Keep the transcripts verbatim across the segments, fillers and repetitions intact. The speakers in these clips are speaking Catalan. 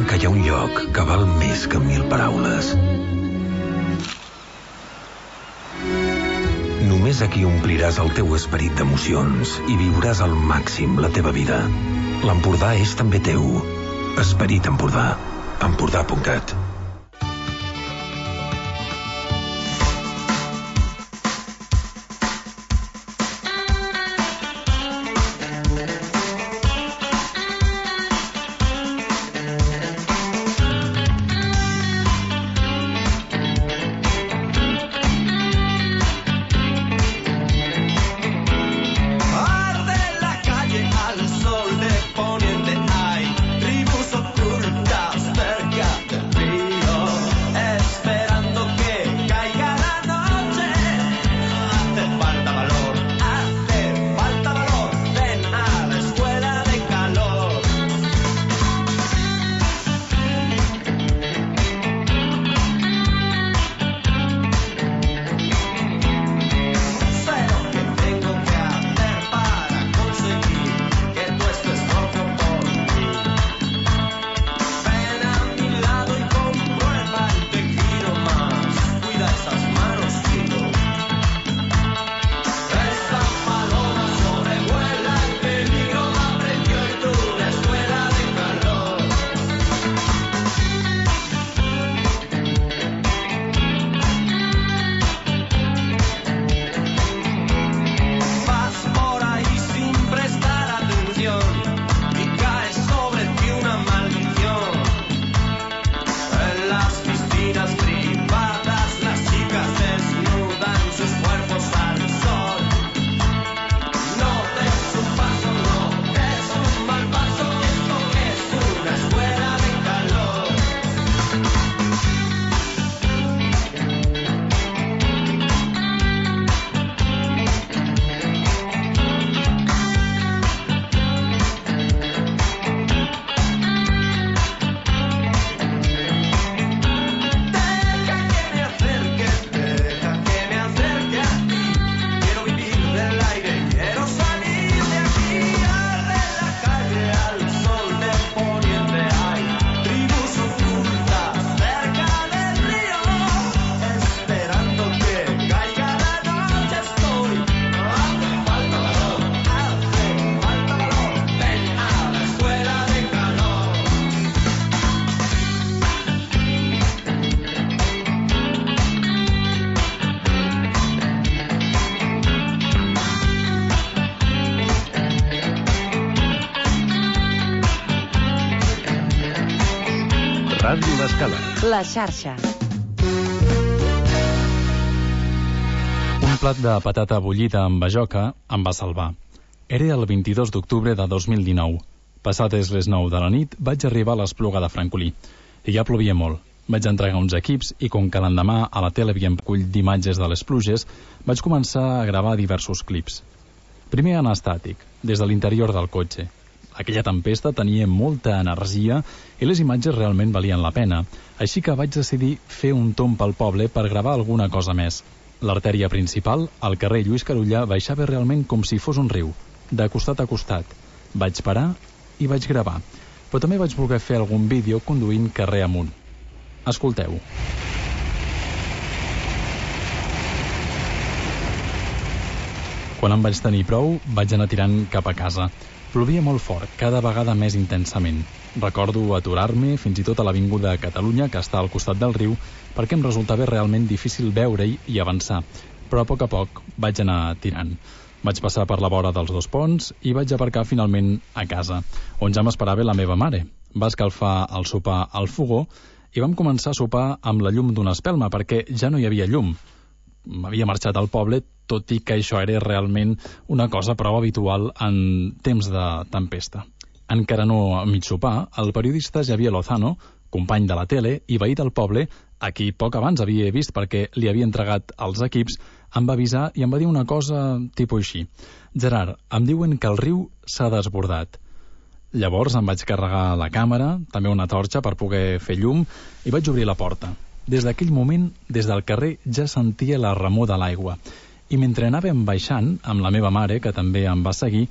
que hi ha un lloc que val més que mil paraules. Només aquí ompliràs el teu esperit d'emocions i viuràs al màxim la teva vida. L'Empordà és també teu. Esperit Empordà. Empordà punt cat. Ràdio L'Escala. La xarxa. Un plat de patata bullida amb bajoca em va salvar. Era el vint-i-dos d'octubre de dos mil dinou. Passades les nou de la nit vaig arribar a l'Espluga de Francolí. I ja plovia molt. Vaig entregar uns equips i com que l'endemà a la tele havíem recull d'imatges de les pluges, vaig començar a gravar diversos clips. Primer en estàtic, des de l'interior del cotxe. Aquella tempesta tenia molta energia i les imatges realment valien la pena, així que vaig decidir fer un tomb pel poble per gravar alguna cosa més. L'artèria principal, al carrer Lluís Carulla, baixava realment com si fos un riu, de costat a costat. Vaig parar i vaig gravar, però també vaig voler fer algun vídeo conduint carrer amunt. Escolteu. Quan em vaig tenir prou, vaig anar tirant cap a casa. Plovia molt fort, cada vegada més intensament. Recordo aturar-me fins i tot a l'Avinguda Catalunya, que està al costat del riu, perquè em resultava realment difícil veure-hi i avançar. Però a poc a poc vaig anar tirant. Vaig passar per la vora dels dos ponts i vaig aparcar finalment a casa, on ja m'esperava la meva mare. Va escalfar el sopar al fogó i vam començar a sopar amb la llum d'una espelma, perquè ja no hi havia llum. M'havia marxat al poble, tot i que això era realment una cosa prou habitual en temps de tempesta. Encara no a mig sopar, el periodista Javier Lozano, company de la tele i veí del poble, a qui poc abans havia vist perquè li havia entregat els equips, em va avisar i em va dir una cosa tipus així. Gerard, em diuen que el riu s'ha desbordat. Llavors em vaig carregar la càmera, també una torxa per poder fer llum, i vaig obrir la porta. Des d'aquell moment, des del carrer, ja sentia la remor de l'aigua. I mentre anàvem baixant, amb la meva mare, que també em va seguir,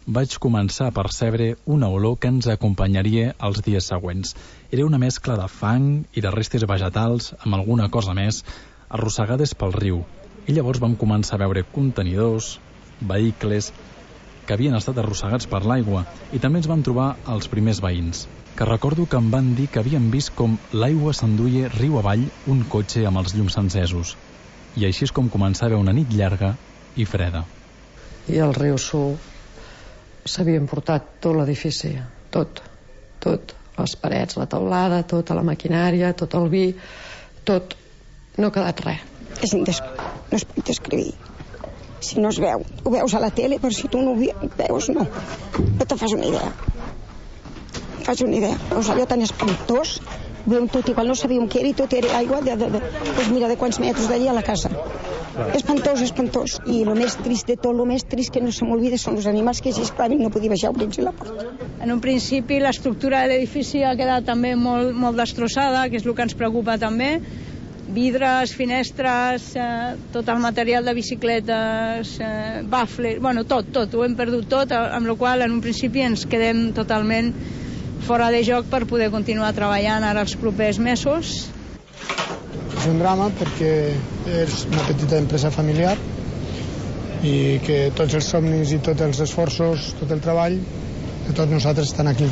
vaig començar a percebre una olor que ens acompanyaria els dies següents. Era una mescla de fang i de restes vegetals amb alguna cosa més, arrossegades pel riu. I llavors vam començar a veure contenidors, vehicles que havien estat arrossegats per l'aigua, i també ens vam trobar els primers veïns, que recordo que em van dir que havien vist com l'aigua s'enduia riu avall un cotxe amb els llums encesos. I així és com començava una nit llarga i freda. I el riu Su s'havia emportat tot l'edifici, tot, tot, les parets, la teulada, tota la maquinària, tot el vi, tot, no ha quedat res. És indes... no es pot descriure. Si no es veu, ho veus a la tele, però si tu no ho veus, no. No te fas una idea. Fas una idea. O sigui, allò tan espantós, veiem tot igual, no sabíem què era i tot era aigua de, de, de, pues mira, de quants metres d'allà a la casa. Espantós, espantós. I el més trist de tot, el més trist que no se m'olvida són els animals que s'esclaven i no podia baixar a obrir la porta. En un principi l'estructura de l'edifici ha quedat també molt, molt destrossada, que és el que ens preocupa també. Vidres, finestres, eh, tot el material de bicicletes, eh, bafles, bueno, tot, tot, ho hem perdut tot, amb la qual en un principi ens quedem totalment fora de joc per poder continuar treballant ara els propers mesos. És un drama perquè és una petita empresa familiar i que tots els somnis i tots els esforços, tot el treball de tots nosaltres estan aquí.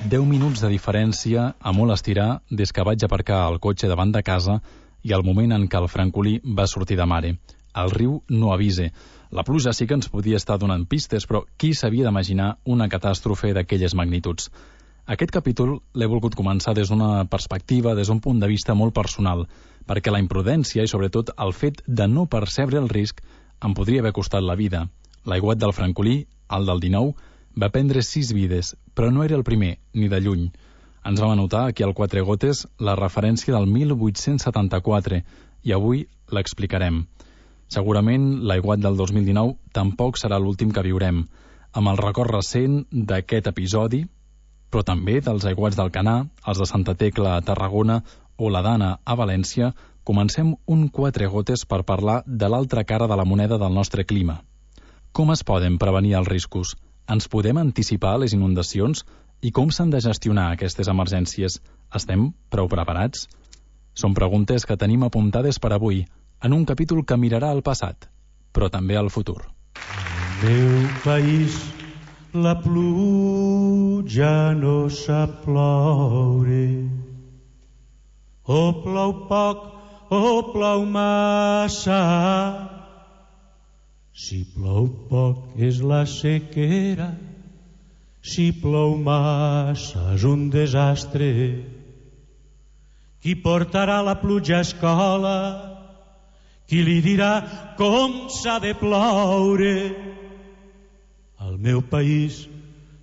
Deu minuts de diferència a molt estirar des que vaig aparcar el cotxe davant de casa i el moment en què el francolí va sortir de mare. El riu no avisa. La pluja sí que ens podia estar donant pistes, però qui s'havia d'imaginar una catàstrofe d'aquelles magnituds? Aquest capítol l'he volgut començar des d'una perspectiva, des d'un punt de vista molt personal, perquè la imprudència i sobretot el fet de no percebre el risc em podria haver costat la vida. L'aiguat del francolí, el del dinou, va prendre sis vides, però no era el primer, ni de lluny. Ens vam anotar aquí al Quatre Gotes la referència del mil vuit-cents setanta-quatre i avui l'explicarem. Segurament l'aiguat del dos mil dinou tampoc serà l'últim que viurem, amb el record recent d'aquest episodi, però també dels aiguats del Canà, els de Santa Tecla a Tarragona o la Dana a València. Comencem un Quatre Gotes per parlar de l'altra cara de la moneda del nostre clima. Com es poden prevenir els riscos? Ens podem anticipar les inundacions? I com s'han de gestionar aquestes emergències? Estem prou preparats? Són preguntes que tenim apuntades per avui, en un capítol que mirarà al passat, però també al futur. Al meu país la pluja no sap ploure. O plou poc o plou massa. Si plou poc és la sequera, si plou massa és un desastre. Qui portarà la pluja a escola? Qui li dirà com s'ha de ploure? Al meu país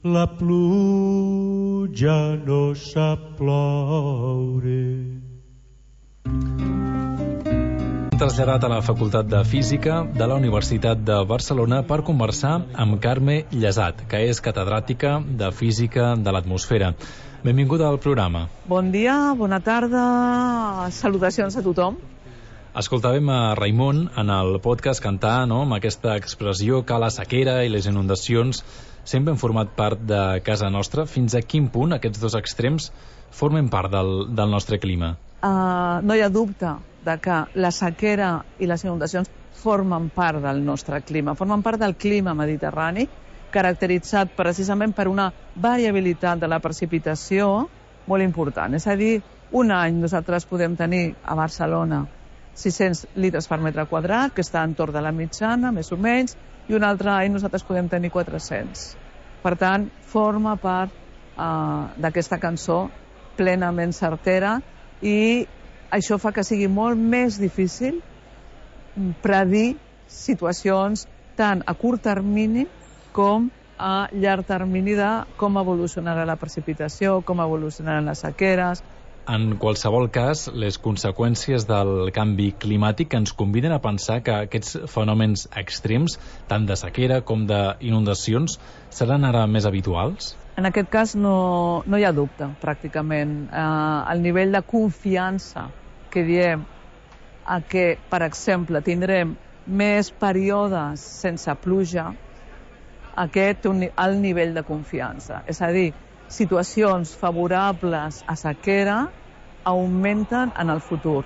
la pluja no sap ploure. Traslladat a la Facultat de Física de la Universitat de Barcelona per conversar amb Carme Llesat, que és catedràtica de Física de l'Atmosfera. Benvinguda al programa. Bon dia, bona tarda, salutacions a tothom. Escoltàvem a Raimon en el podcast cantar, no?, amb aquesta expressió que la sequera i les inundacions sempre han format part de casa nostra. Fins a quin punt aquests dos extrems formen part del, del nostre clima? Uh, no hi ha dubte de que la sequera i les inundacions formen part del nostre clima, formen part del clima mediterrani, caracteritzat precisament per una variabilitat de la precipitació molt important. És a dir, un any nosaltres podem tenir a Barcelona sis-cents litres per metre quadrat, que està entorn de la mitjana, més o menys, i un altre any nosaltres podem tenir quatre-cents. Per tant, forma part uh, d'aquesta cançó plenament certera, i això fa que sigui molt més difícil predir situacions tant a curt termini com a llarg termini de com evolucionarà la precipitació, com evolucionaran les sequeres. En qualsevol cas, les conseqüències del canvi climàtic ens conviden a pensar que aquests fenòmens extrems, tant de sequera com d'inundacions, seran ara més habituals? En aquest cas no, no hi ha dubte, pràcticament. Eh, el nivell de confiança que diem a que, per exemple, tindrem més períodes sense pluja, aquest té un alt nivell de confiança. És a dir, situacions favorables a sequera augmenten en el futur.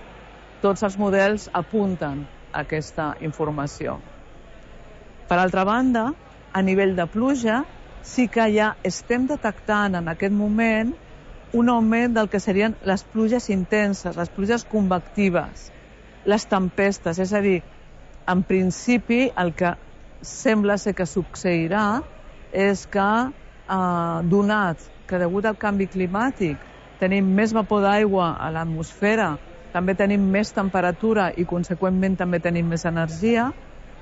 Tots els models apunten a aquesta informació. Per altra banda, a nivell de pluja, sí que ja estem detectant en aquest moment un augment del que serien les pluges intenses, les pluges convectives, les tempestes. És a dir, en principi, el que sembla ser que succeirà és que, eh, donat que degut al canvi climàtic tenim més vapor d'aigua a l'atmosfera, també tenim més temperatura i, conseqüentment, també tenim més energia,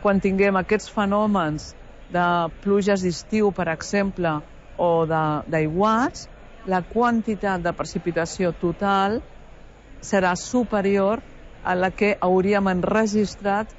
quan tinguem aquests fenòmens de pluges d'estiu, per exemple, o d'aiguats, la quantitat de precipitació total serà superior a la que hauríem enregistrat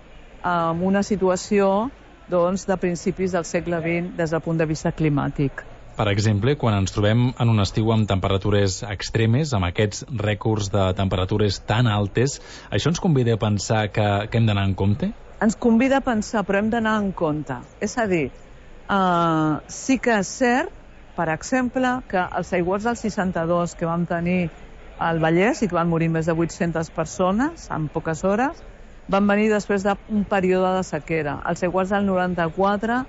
en una situació doncs, de principis del segle vint des del punt de vista climàtic. Per exemple, quan ens trobem en un estiu amb temperatures extremes, amb aquests rècords de temperatures tan altes, això ens convida a pensar que, que hem d'anar en compte? Ens convida a pensar, però hem d'anar en compte. És a dir, eh, sí que és cert, per exemple, que els aiguats del seixanta-dos que vam tenir al Vallès i que van morir més de vuit-centes persones en poques hores, van venir després d'un període de sequera. Els aiguats del noranta-quatre,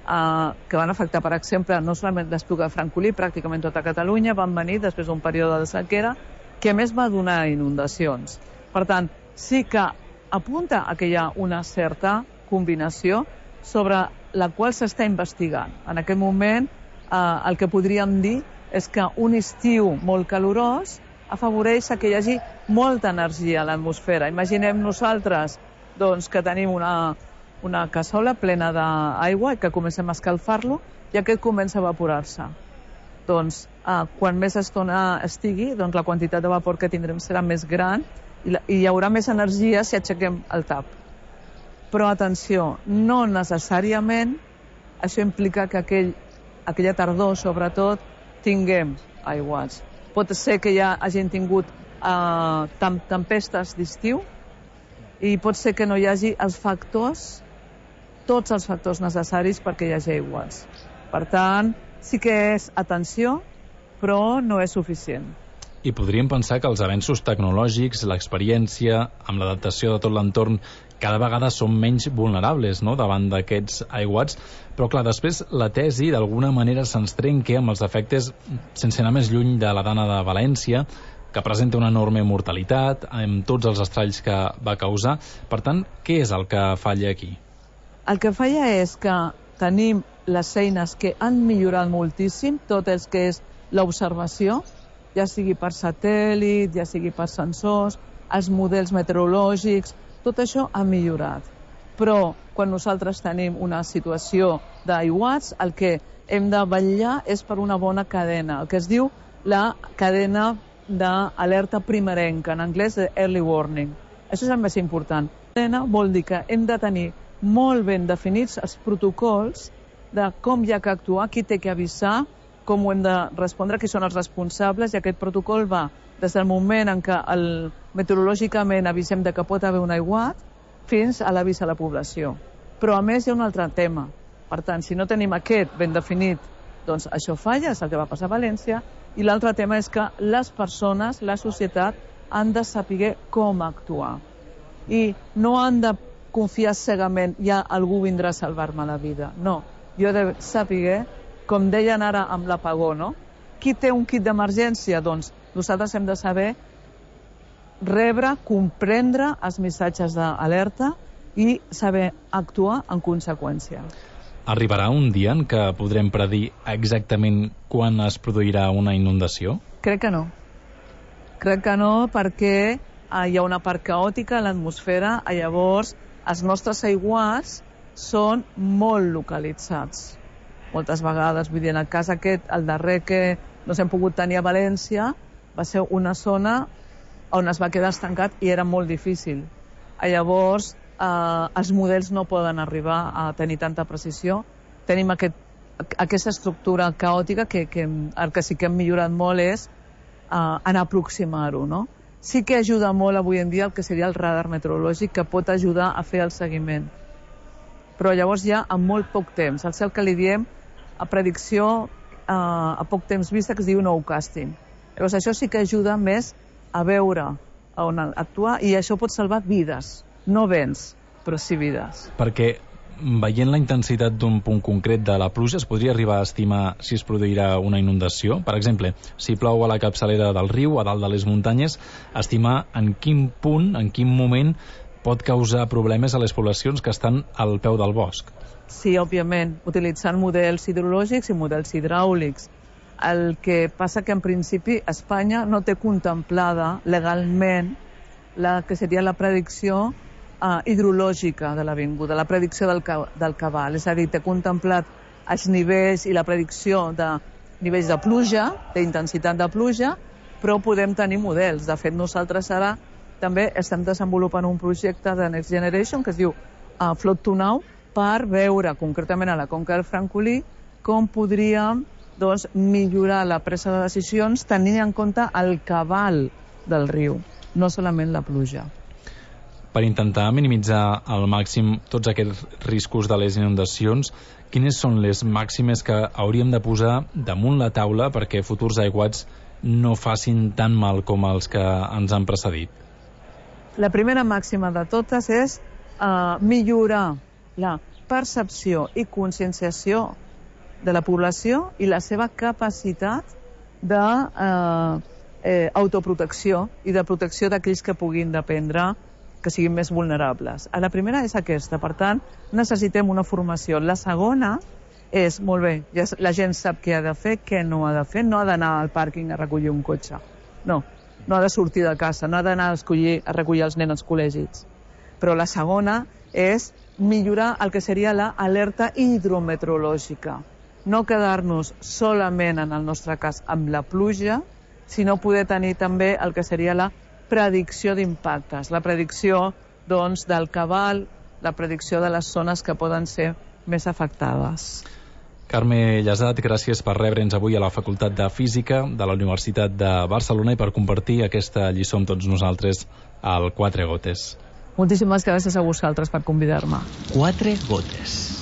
eh, que van afectar, per exemple, no solament l'Espluga de Francolí, pràcticament tota Catalunya, van venir després d'un període de sequera que a més va donar inundacions. Per tant, sí que apunta a que hi ha una certa combinació sobre la qual s'està investigant. En aquest moment, eh, el que podríem dir és que un estiu molt calorós afavoreix que hi hagi molta energia a l'atmosfera. Imaginem nosaltres doncs, que tenim una, una cassola plena d'aigua i que comencem a escalfar-lo i aquest comença a evaporar-se. Doncs, eh, quan més estona estigui, doncs la quantitat de vapor que tindrem serà més gran i, la, i hi haurà més energia si aixequem el tap. Però, atenció, no necessàriament això implica que aquell, aquella tardor, sobretot, tinguem aiguats. Pot ser que ja hagin tingut eh, tempestes d'estiu i pot ser que no hi hagi els factors, tots els factors necessaris perquè hi hagi aiguats. Per tant, sí que és atenció, però no és suficient. I podríem pensar que els avenços tecnològics, l'experiència, amb l'adaptació de tot l'entorn, cada vegada som menys vulnerables, no?, davant d'aquests aiguats, però clar, després la tesi d'alguna manera se'ns trenca amb els efectes, sense anar més lluny de la Dana de València, que presenta una enorme mortalitat, amb tots els estralls que va causar. Per tant, què és el que falla aquí? El que falla és que tenim les eines que han millorat moltíssim, tot el que és l'observació, ja sigui per satèl·lit, ja sigui per sensors, els models meteorològics, tot això ha millorat. Però quan nosaltres tenim una situació d'aiguats, el que hem de vetllar és per una bona cadena, el que es diu la cadena d'alerta primerenca, en anglès de early warning. Això és el més important. La cadena vol dir que hem de tenir molt ben definits els protocols de com hi ha que actuar, qui té que avisar, com ho hem de respondre, qui són els responsables, i aquest protocol va des del moment en què el, meteorològicament avisem de que pot haver un aiguat fins a l'avís a la població. Però a més hi ha un altre tema. Per tant, si no tenim aquest ben definit, doncs això falla, és el que va passar a València, i l'altre tema és que les persones, la societat, han de saber com actuar. I no han de confiar cegament, ja algú vindrà a salvar-me la vida. No, jo he de saber, com deien ara amb l'apagó, no? Qui té un kit d'emergència? Doncs nosaltres hem de saber rebre, comprendre els missatges d'alerta i saber actuar en conseqüència. Arribarà un dia en què podrem predir exactament quan es produirà una inundació? Crec que no. Crec que no perquè eh, hi ha una part caòtica a l'atmosfera, i llavors els nostres aiguats són molt localitzats. Moltes vegades, vull dir, en el cas aquest, el darrer que no s'hem pogut tenir a València, va ser una zona on es va quedar estancat i era molt difícil. Llavors, eh, els models no poden arribar a tenir tanta precisió. Tenim aquest, aquesta estructura caòtica que, que el que sí que hem millorat molt és eh, anar a aproximar-ho, no? Sí que ajuda molt avui en dia el que seria el radar meteorològic, que pot ajudar a fer el seguiment. però llavors ja en molt poc temps. Al cel que li diem a predicció eh, a poc temps vista, que es diu nowcasting. Llavors això sí que ajuda més a veure on actuar, i això pot salvar vides, no béns, però sí vides. Perquè veient la intensitat d'un punt concret de la pluja es podria arribar a estimar si es produirà una inundació? Per exemple, si plou a la capçalera del riu, a dalt de les muntanyes, estimar en quin punt, en quin moment pot causar problemes a les poblacions que estan al peu del bosc? Sí, òbviament, utilitzant models hidrològics i models hidràulics. El que passa que en principi Espanya no té contemplada legalment la que seria la predicció Uh, hidrològica de l'avinguda, la predicció del, ca del cabal, és a dir, té contemplat els nivells i la predicció de nivells de pluja, d'intensitat de pluja, però podem tenir models. De fet, nosaltres ara també estem desenvolupant un projecte de Next Generation que es diu uh, Flood to Now, per veure concretament a la conca del Francolí com podríem doncs, millorar la presa de decisions tenint en compte el cabal del riu, no solament la pluja. Per intentar minimitzar al màxim tots aquests riscos de les inundacions, quines són les màximes que hauríem de posar damunt la taula perquè futurs aiguats no facin tan mal com els que ens han precedit? La primera màxima de totes és uh, millorar la percepció i conscienciació de la població i la seva capacitat d'autoprotecció uh, eh, i de protecció d'aquells que puguin dependre, que siguin més vulnerables. La primera és aquesta, per tant, necessitem una formació. La segona és, molt bé, ja la gent sap què ha de fer, què no ha de fer, no ha d'anar al pàrquing a recollir un cotxe. No, no ha de sortir de casa, no ha d'anar a, escollir, a recollir els nens als col·legis. Però la segona és millorar el que seria l'alerta hidrometeorològica. No quedar-nos solament, en el nostre cas, amb la pluja, sinó poder tenir també el que seria la predicció d'impactes, la predicció doncs, del cabal, la predicció de les zones que poden ser més afectades. Carme Llasat, gràcies per rebre'ns avui a la Facultat de Física de la Universitat de Barcelona i per compartir aquesta lliçó amb tots nosaltres al Quatre Gotes. Moltíssimes gràcies a vosaltres per convidar-me. Quatre Gotes.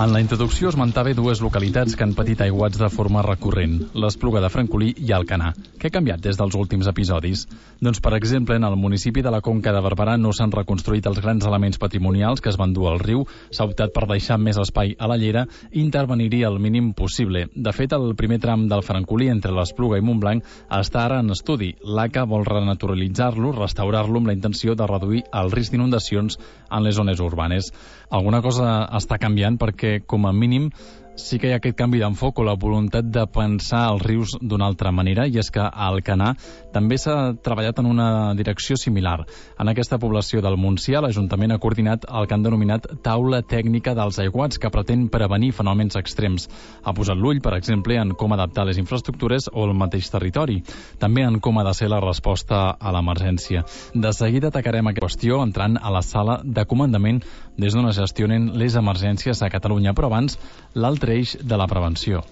En la introducció esmentava dues localitats que han patit aiguats de forma recurrent, l'Espluga de Francolí i Alcanar. Què ha canviat des dels últims episodis? Doncs, per exemple, en el municipi de la Conca de Barberà no s'han reconstruït els grans elements patrimonials que es van dur al riu, s'ha optat per deixar més espai a la llera i intervenir-hi el mínim possible. De fet, el primer tram del Francolí entre l'Espluga i Montblanc està ara en estudi. L'A C A vol renaturalitzar-lo, restaurar-lo amb la intenció de reduir el risc d'inundacions en les zones urbanes. Alguna cosa està canviant perquè, com a mínim, sí que hi ha aquest canvi d'enfoc o la voluntat de pensar els rius d'una altra manera, i és que a Alcanar també s'ha treballat en una direcció similar. En aquesta població del Montsià, l'Ajuntament ha coordinat el que han denominat Taula Tècnica dels Aiguats, que pretén prevenir fenòmens extrems. Ha posat l'ull, per exemple, en com adaptar les infraestructures o el mateix territori, també en com ha de ser la resposta a l'emergència. De seguida atacarem aquesta qüestió entrant a la sala de comandament des d'on es gestionen les emergències a Catalunya, però abans l'altre eix de la prevenció.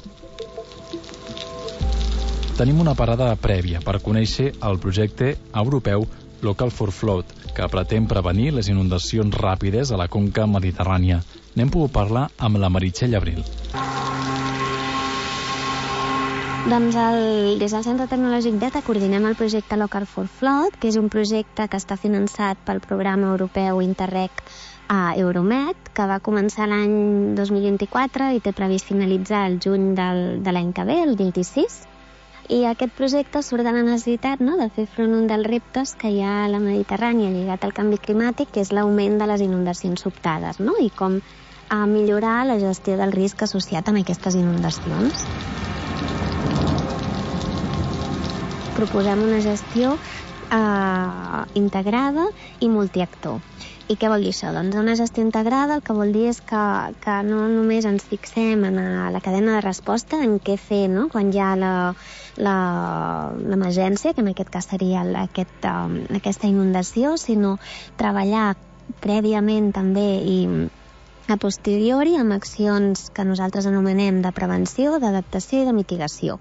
Tenim una parada prèvia per conèixer el projecte europeu Local for Flood, que pretén prevenir les inundacions ràpides a la conca mediterrània. N'hem pogut parlar amb la Meritxell Abril. Doncs el, des del Centre Tecnològic d'ETA coordinem el projecte Local for Flood, que és un projecte que està finançat pel programa europeu Interreg a Euromed, que va començar l'any dos mil vint-i-quatre i té previst finalitzar el juny del, de l'any que ve, el vint-i-sis. I aquest projecte surt de la necessitat, no?, de fer front a un dels reptes que hi ha a la Mediterrània lligat al canvi climàtic, que és l'augment de les inundacions sobtades, no?, i com a millorar la gestió del risc associat amb aquestes inundacions. Proposem una gestió eh, integrada i multiactor. I què vol dir això? Doncs una gestió integrada el que vol dir és que, que no només ens fixem en la cadena de resposta, en què fer, no?, quan hi ha l'emergència, que en aquest cas seria aquest, um, aquesta inundació, sinó treballar prèviament també i a posteriori amb accions que nosaltres anomenem de prevenció, d'adaptació i de mitigació.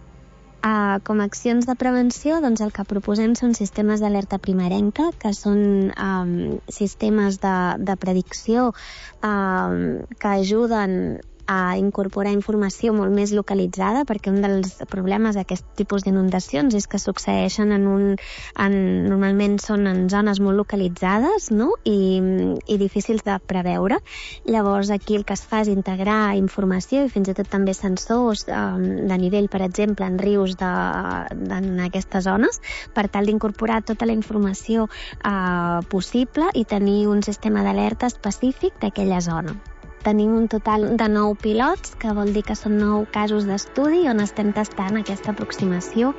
Uh, com a accions de prevenció, doncs el que proposem són sistemes d'alerta primerenca, que són um, sistemes de, de predicció um, que ajuden a incorporar informació molt més localitzada, perquè un dels problemes d'aquest tipus d'inundacions és que succeeixen en un... En, normalment són en zones molt localitzades, no? I, i difícils de preveure. Llavors aquí el que es fa és integrar informació i fins i tot també sensors um, de nivell, per exemple, en rius de, de, en aquestes zones, per tal d'incorporar tota la informació uh, possible i tenir un sistema d'alerta específic d'aquella zona. Tenim un total de nou pilots, que vol dir que són nou casos d'estudi on estem tastant aquesta aproximació.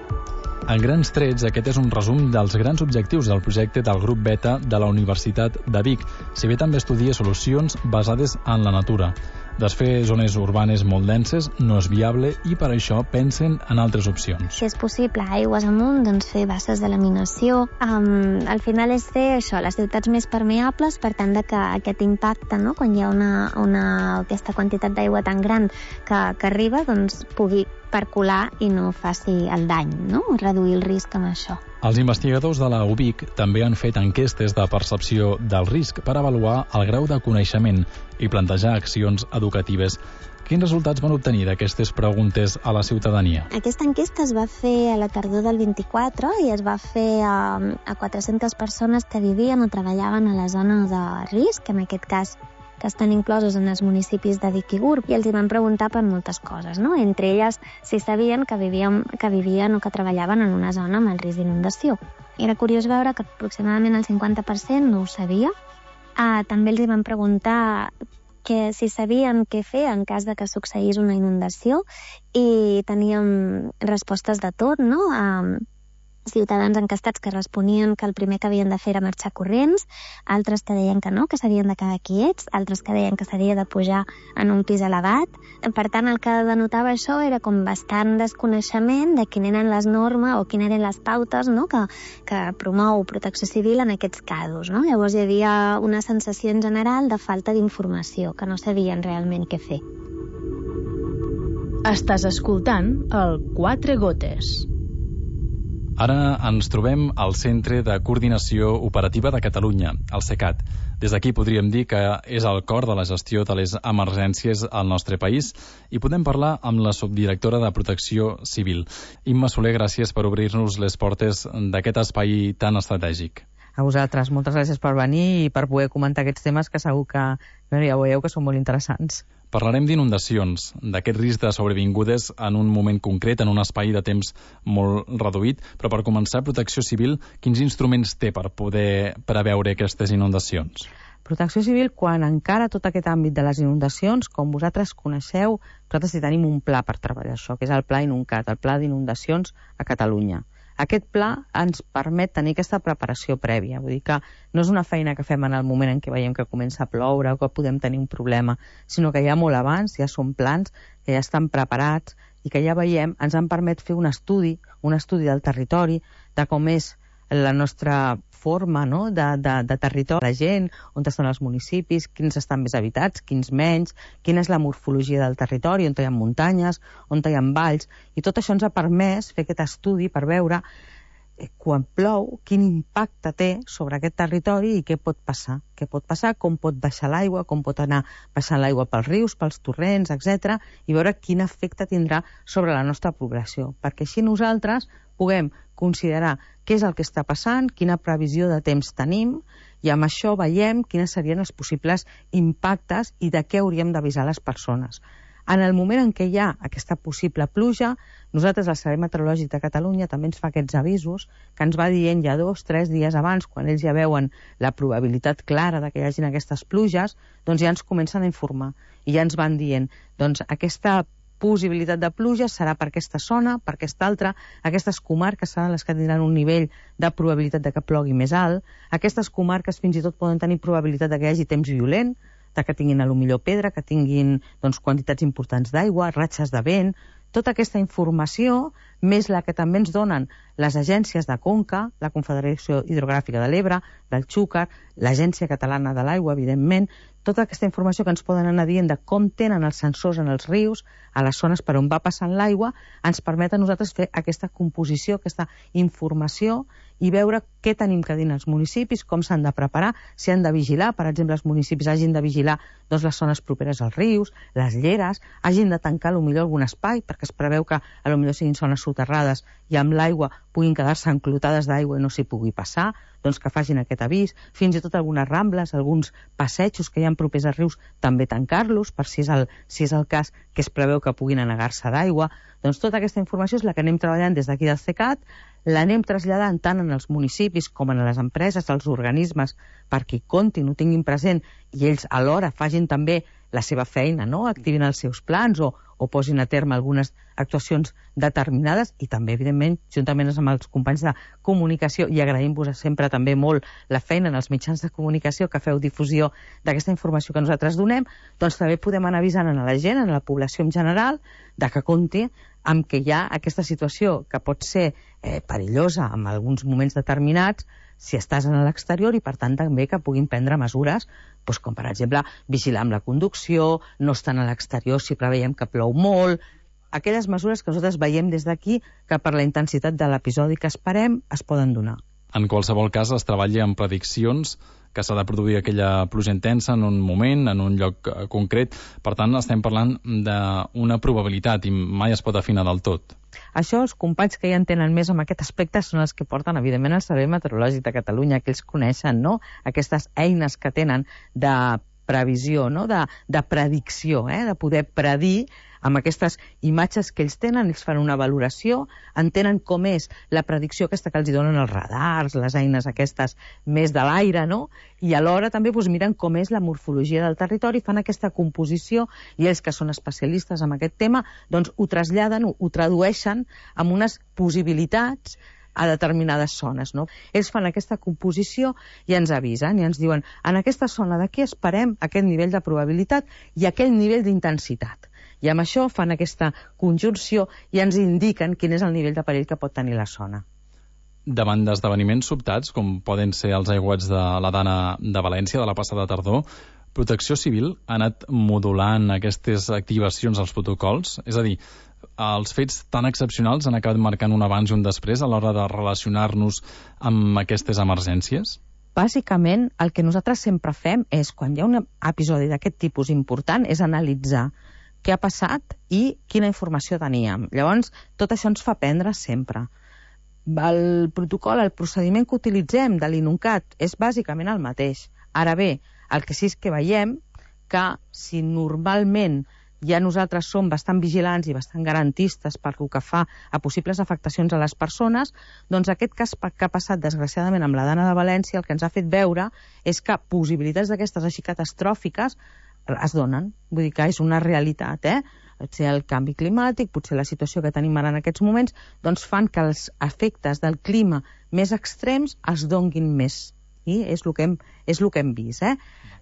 En grans trets, aquest és un resum dels grans objectius del projecte del grup Beta de la Universitat de Vic, si bé també estudia solucions basades en la natura. Desfer zones urbanes molt denses no és viable i per això pensen en altres opcions. Si és possible, aigües amunt, doncs fer basses de laminació. Um, al final és fer això, les ciutats més permeables, per tant de que aquest impacte, no? Quan hi ha una, una, aquesta quantitat d'aigua tan gran que, que arriba, doncs pugui percolar i no faci el dany, no? Reduir el risc amb això. Els investigadors de la U B I C també han fet enquestes de percepció del risc per avaluar el grau de coneixement i plantejar accions educatives. Quins resultats van obtenir d'aquestes preguntes a la ciutadania? Aquesta enquesta es va fer a la tardor del vint-i-quatre i es va fer a, a quatre-centes persones que vivien o treballaven a la zona de risc, en aquest cas que estan inclosos en els municipis de Vic i Gurb, i els hi van preguntar per moltes coses, no? Entre elles, si sabien que vivien, que vivien o que treballaven en una zona amb el risc d'inundació. Era curiós veure que aproximadament el cinquanta per cent no ho sabia. Ah, també els hi van preguntar que si sabien què fer en cas de que succeís una inundació, i teníem respostes de tot, no? Ah, ciutadans encastats que responien que el primer que havien de fer era marxar corrents, altres que deien que no, que s'havien de quedar quiets, altres que deien que s'havia de pujar en un pis elevat. Per tant, el que denotava això era com bastant desconeixement de quines eren les normes o quines eren les pautes, no? que, que promou Protecció Civil en aquests casos. No? Llavors hi havia una sensació en general de falta d'informació, que no sabien realment què fer. Estàs escoltant el Quatre Gotes. Ara ens trobem al Centre de Coordinació Operativa de Catalunya, el CECAT. Des d'aquí podríem dir que és el cor de la gestió de les emergències al nostre país i podem parlar amb la subdirectora de Protecció Civil. Imma Soler, gràcies per obrir-nos les portes d'aquest espai tan estratègic. A vosaltres, moltes gràcies per venir i per poder comentar aquests temes que segur que ja veieu que són molt interessants. Parlarem d'inundacions, d'aquest risc de sobrevingudes en un moment concret, en un espai de temps molt reduït, però per començar, Protecció Civil, quins instruments té per poder preveure aquestes inundacions? Protecció Civil, quan encara tot aquest àmbit de les inundacions, com vosaltres coneixeu, nosaltres hi tenim un pla per treballar això, que és el Pla Inuncat, el Pla d'Inundacions a Catalunya. Aquest pla ens permet tenir aquesta preparació prèvia, vull dir que no és una feina que fem en el moment en què veiem que comença a ploure o que podem tenir un problema, sinó que ja molt abans ja són plans que ja estan preparats i que ja veiem, ens han permet fer un estudi, un estudi del territori, de com és la nostra forma, no? de, de, de territori, la gent, on estan els municipis, quins estan més habitats, quins menys, quina és la morfologia del territori, on hi ha muntanyes, on hi ha valls, i tot això ens ha permès fer aquest estudi per veure eh, quan plou, quin impacte té sobre aquest territori i què pot passar. Què pot passar, com pot baixar l'aigua, com pot anar baixant l'aigua pels rius, pels torrents, etcètera, i veure quin efecte tindrà sobre la nostra població, perquè així nosaltres puguem considerar què és el que està passant, quina previsió de temps tenim, i amb això veiem quines serien els possibles impactes i de què hauríem d'avisar les persones. En el moment en què hi ha aquesta possible pluja, nosaltres, el Servei Meteorològic de Catalunya, també ens fa aquests avisos, que ens va dient ja dos, tres dies abans, quan ells ja veuen la probabilitat clara de que hi hagin aquestes pluges, doncs ja ens comencen a informar. I ja ens van dient, doncs aquesta possibilitat de pluja serà per aquesta zona, per aquesta altra, aquestes comarques seran les que tindran un nivell de probabilitat de que plogui més alt, aquestes comarques fins i tot poden tenir probabilitat de que hi hagi temps violent, de que tinguin a lo millor pedra, que tinguin doncs, quantitats importants d'aigua, ratxes de vent. Tota aquesta informació, més la que també ens donen les agències de Conca, la Confederació Hidrogràfica de l'Ebre, del Xúquer, l'Agència Catalana de l'Aigua, evidentment, tota aquesta informació que ens poden anar dient de com tenen els sensors en els rius, a les zones per on va passant l'aigua, ens permet a nosaltres fer aquesta composició, aquesta informació i veure què tenim que dir als municipis, com s'han de preparar, si han de vigilar, per exemple, els municipis hagin de vigilar doncs, les zones properes als rius, les lleres, hagin de tancar potser algun espai, perquè es preveu que potser siguin zones soterrades i amb l'aigua puguin quedar-se enclotades d'aigua i no s'hi pugui passar, doncs que facin aquest avís, fins i tot algunes rambles, alguns passejos que hi ha propers als rius, també tancar-los, per si és el, si és el cas que es preveu que puguin anegar-se d'aigua. Doncs tota aquesta informació és la que anem treballant des d'aquí del CECAT, l'anem traslladant tant en els municipis com en les empreses, els organismes, perquè hi comptin, ho tinguin present, i ells alhora facin també la seva feina, no? Activin els seus plans o, o posin a terme algunes actuacions determinades i també, evidentment, juntament amb els companys de comunicació, i agraïm-vos sempre també molt la feina en els mitjans de comunicació que feu difusió d'aquesta informació que nosaltres donem, doncs també podem anar avisant a la gent, a la població en general, de que compti amb que hi ha aquesta situació que pot ser eh, perillosa en alguns moments determinats si estàs en l'exterior i, per tant, també que puguin prendre mesures, doncs, com per exemple vigilar amb la conducció, no estar a l'exterior si preveiem que plou molt, aquelles mesures que nosaltres veiem des d'aquí que per la intensitat de l'episodi que esperem es poden donar. En qualsevol cas es treballa amb prediccions que s'ha de produir aquella pluja intensa en un moment, en un lloc concret. Per tant, estem parlant d'una probabilitat i mai es pot afinar del tot. Això, els companys que ja entenen més en aquest aspecte són els que porten, evidentment, el Servei Meteorològic de Catalunya, que ells coneixen, no?, aquestes eines que tenen de previsió, no?, de, de predicció, eh?, de poder predir amb aquestes imatges que ells tenen, ells fan una valoració, entenen com és la predicció aquesta que els donen els radars, les eines aquestes més de l'aire, no? I alhora també doncs, miren com és la morfologia del territori, fan aquesta composició, i ells que són especialistes en aquest tema, doncs ho traslladen, ho, ho tradueixen amb unes possibilitats a determinades zones, no? Ells fan aquesta composició i ens avisen, i ens diuen, en aquesta zona d'aquí esperem aquest nivell de probabilitat i aquell nivell d'intensitat. I amb això fan aquesta conjunció i ens indiquen quin és el nivell de perill que pot tenir la zona. Davant d'esdeveniments sobtats, com poden ser els aiguats de la Dana de València de la passada tardor, Protecció Civil ha anat modulant aquestes activacions als protocols? És a dir, els fets tan excepcionals han acabat marcant un abans i un després a l'hora de relacionar-nos amb aquestes emergències? Bàsicament, el que nosaltres sempre fem és, quan hi ha un episodi d'aquest tipus important, és analitzar què ha passat i quina informació teníem. Llavors, tot això ens fa aprendre sempre. El protocol, el procediment que utilitzem de l'INUNCAT és bàsicament el mateix. Ara bé, el que sí és que veiem que si normalment ja nosaltres som bastant vigilants i bastant garantistes per el que fa a possibles afectacions a les persones, doncs aquest cas que ha passat desgraciadament amb la Dana de València el que ens ha fet veure és que possibilitats d'aquestes així catastròfiques es donen, vull dir que és una realitat, eh? Potser el canvi climàtic, potser la situació que tenim ara en aquests moments, doncs fan que els efectes del clima més extrems es donguin més. I és el que hem, és el que hem vist, eh?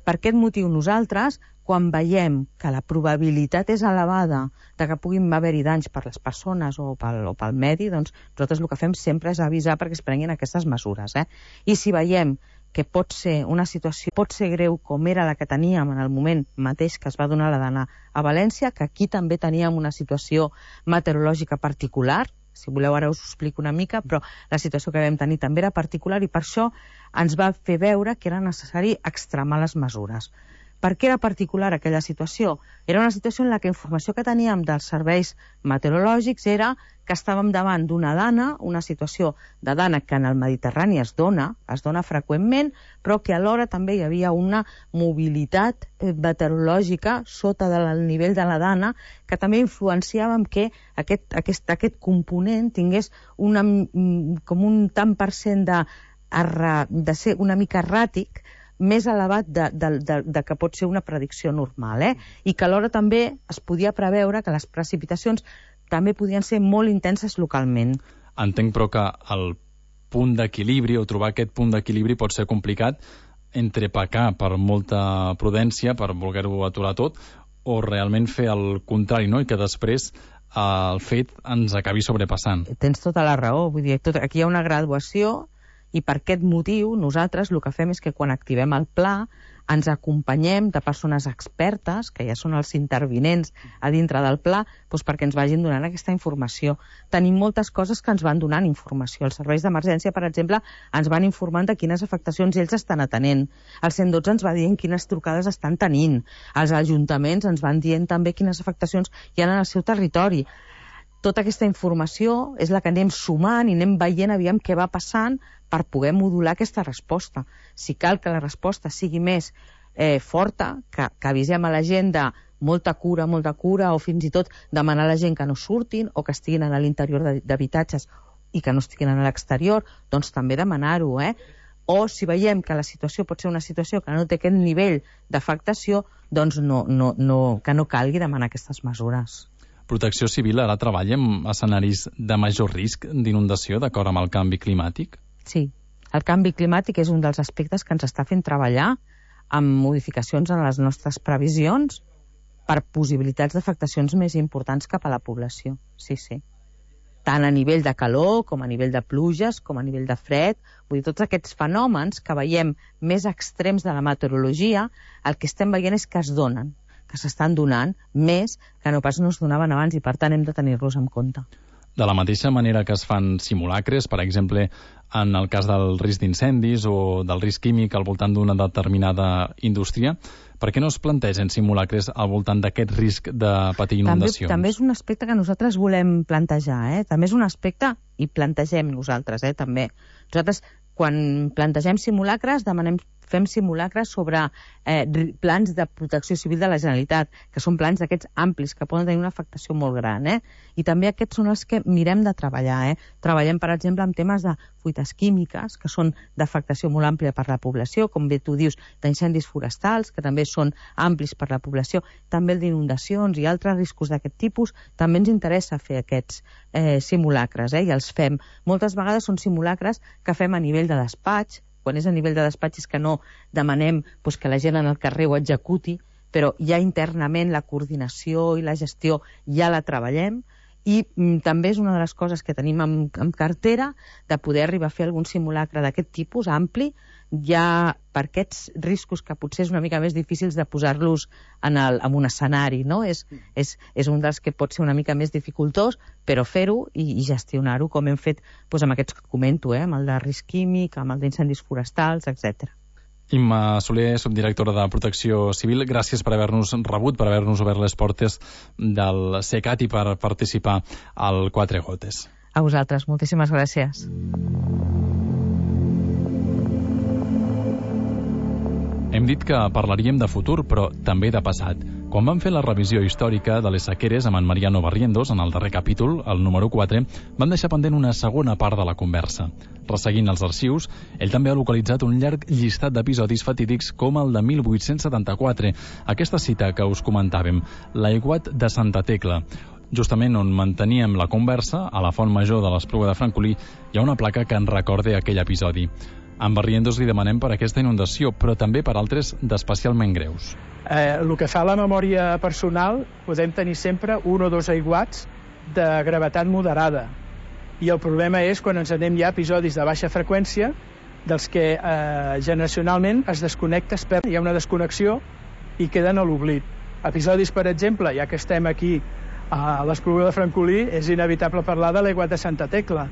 Per aquest motiu nosaltres, quan veiem que la probabilitat és elevada de que puguin haver-hi danys per les persones o pel, o pel medi, doncs nosaltres el que fem sempre és avisar perquè es prenguin aquestes mesures, eh? I si veiem que pot ser una situació, pot ser greu com era la que teníem en el moment mateix que es va donar la Dana a València, que aquí també teníem una situació meteorològica particular, si voleu ara us ho explico una mica, però la situació que vam tenir també era particular i per això ens va fer veure que era necessari extremar les mesures. Per què era particular aquella situació? Era una situació en la que la informació que teníem dels serveis meteorològics era que estàvem davant d'una dana, una situació de dana que en el Mediterrani es dona, es dona freqüentment, però que alhora també hi havia una mobilitat meteorològica sota del nivell de la dana que també influenciava en que aquest, aquest, aquest component tingués una, com un tant per cent de, de ser una mica erràtic, més elevat de, de, de, de que pot ser una predicció normal, eh? I que alhora també es podia preveure que les precipitacions també podien ser molt intenses localment. Entenc, però, que el punt d'equilibri, o trobar aquest punt d'equilibri pot ser complicat entre pecar per molta prudència, per voler-ho aturar tot, o realment fer el contrari, no? I que després el fet ens acabi sobrepassant. Tens tota la raó, vull dir, tot, aquí hi ha una graduació I per aquest motiu, nosaltres el que fem és que quan activem el pla ens acompanyem de persones expertes, que ja són els intervinents a dintre del pla, doncs perquè ens vagin donant aquesta informació. Tenim moltes coses que ens van donant informació. Els serveis d'emergència, per exemple, ens van informant de quines afectacions ells estan atenent. El cent dotze ens va dient quines trucades estan tenint. Els ajuntaments ens van dient també quines afectacions hi ha en el seu territori. Tota aquesta informació és la que anem sumant i anem veient aviam què va passant per poder modular aquesta resposta. Si cal que la resposta sigui més eh, forta, que, que avisem a la gent de molta cura, molta cura, o fins i tot demanar a la gent que no surtin o que estiguin a l'interior d'habitatges i que no estiguin a l'exterior, doncs també demanar-ho, eh? O si veiem que la situació pot ser una situació que no té aquest nivell d'afectació, doncs no, no, no, que no calgui demanar aquestes mesures. Protecció Civil ara treballa en escenaris de major risc d'inundació d'acord amb el canvi climàtic? Sí, el canvi climàtic és un dels aspectes que ens està fent treballar amb modificacions en les nostres previsions per possibilitats d'afectacions més importants cap a la població. Sí, sí. Tant a nivell de calor, com a nivell de pluges, com a nivell de fred. Vull dir, tots aquests fenòmens que veiem més extrems de la meteorologia, el que estem veient és que es donen, que s'estan donant més que no pas no es donaven abans i, per tant, hem de tenir-los en compte. De la mateixa manera que es fan simulacres, per exemple, en el cas del risc d'incendis o del risc químic al voltant d'una determinada indústria, per què no es plantegen simulacres al voltant d'aquest risc de patir inundacions? També, també és un aspecte que nosaltres volem plantejar, eh? També és un aspecte, i plantegem nosaltres, eh? També. Nosaltres, quan plantegem simulacres, demanem fem simulacres sobre eh, plans de protecció civil de la Generalitat, que són plans d'aquests amplis, que poden tenir una afectació molt gran, eh? I també aquests són els que mirem de treballar, eh? Treballem, per exemple, en temes de fuites químiques, que són d'afectació molt àmplia per la població, com bé tu dius, d'incendis forestals, que també són amplis per la població, també el d'inundacions i altres riscos d'aquest tipus. També ens interessa fer aquests eh, simulacres, eh? I els fem. Moltes vegades són simulacres que fem a nivell de despatx. Quan és a nivell de despatx és que no demanem doncs, que la gent en el carrer ho executi, però ja internament la coordinació i la gestió ja la treballem, i mm, també és una de les coses que tenim en, en cartera, de poder arribar a fer algun simulacre d'aquest tipus ampli, ja per aquests riscos que potser és una mica més difícils de posar-los en, el, en un escenari, no? És, és, és un dels que pot ser una mica més dificultós, però fer-ho i, i gestionar-ho, com hem fet doncs, amb aquests que comento, eh? Amb el de risc químic, amb el d'incendis forestals, etcètera. Imma Soler, subdirectora de Protecció Civil, gràcies per haver-nos rebut, per haver-nos obert les portes del CECAT i per participar al Quatre Gotes. A vosaltres, moltíssimes gràcies. Hem dit que parlaríem de futur, però també de passat. Quan vam fer la revisió històrica de les sequeres amb en Mariano Barrientos, en el darrer capítol, el número quatre, vam deixar pendent una segona part de la conversa. Resseguint els arxius, ell també ha localitzat un llarg llistat d'episodis fatídics com el de mil vuit-cents setanta-quatre, aquesta cita que us comentàvem, l'aiguat de Santa Tecla. Justament on manteníem la conversa, a la Font Major de l'Espluga de Francolí, hi ha una placa que ens recorda aquell episodi. En Barrientos li demanem per aquesta inundació, però també per altres d'especialment greus. Eh, el que fa la memòria personal, podem tenir sempre un o dos aiguats de gravetat moderada. I el problema és quan ens anem ja a episodis de baixa freqüència, dels que eh, generacionalment es desconnecta, es perd, hi ha una desconnexió i queden a l'oblit. Episodis, per exemple, ja que estem aquí a l'Espluga de Francolí, és inevitable parlar de l'aiguat de Santa Tecla.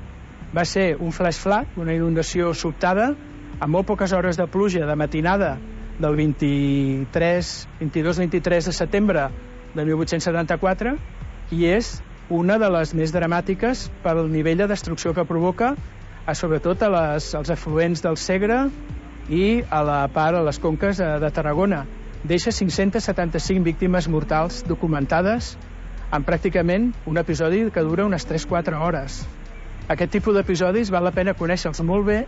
Va ser un flash flood, una inundació sobtada, amb molt poques hores de pluja de matinada del vint-i-tres, vint-i-dos vint-i-tres de setembre de mil vuit-cents setanta-quatre, i és una de les més dramàtiques pel nivell de destrucció que provoca, a, sobretot a les, als afluents del Segre i a la part, a les conques de, de Tarragona. Deixa cinc-centes setanta-cinc víctimes mortals documentades en pràcticament un episodi que dura unes tres a quatre hores. Aquest tipus d'episodis val la pena conèixer-los molt bé,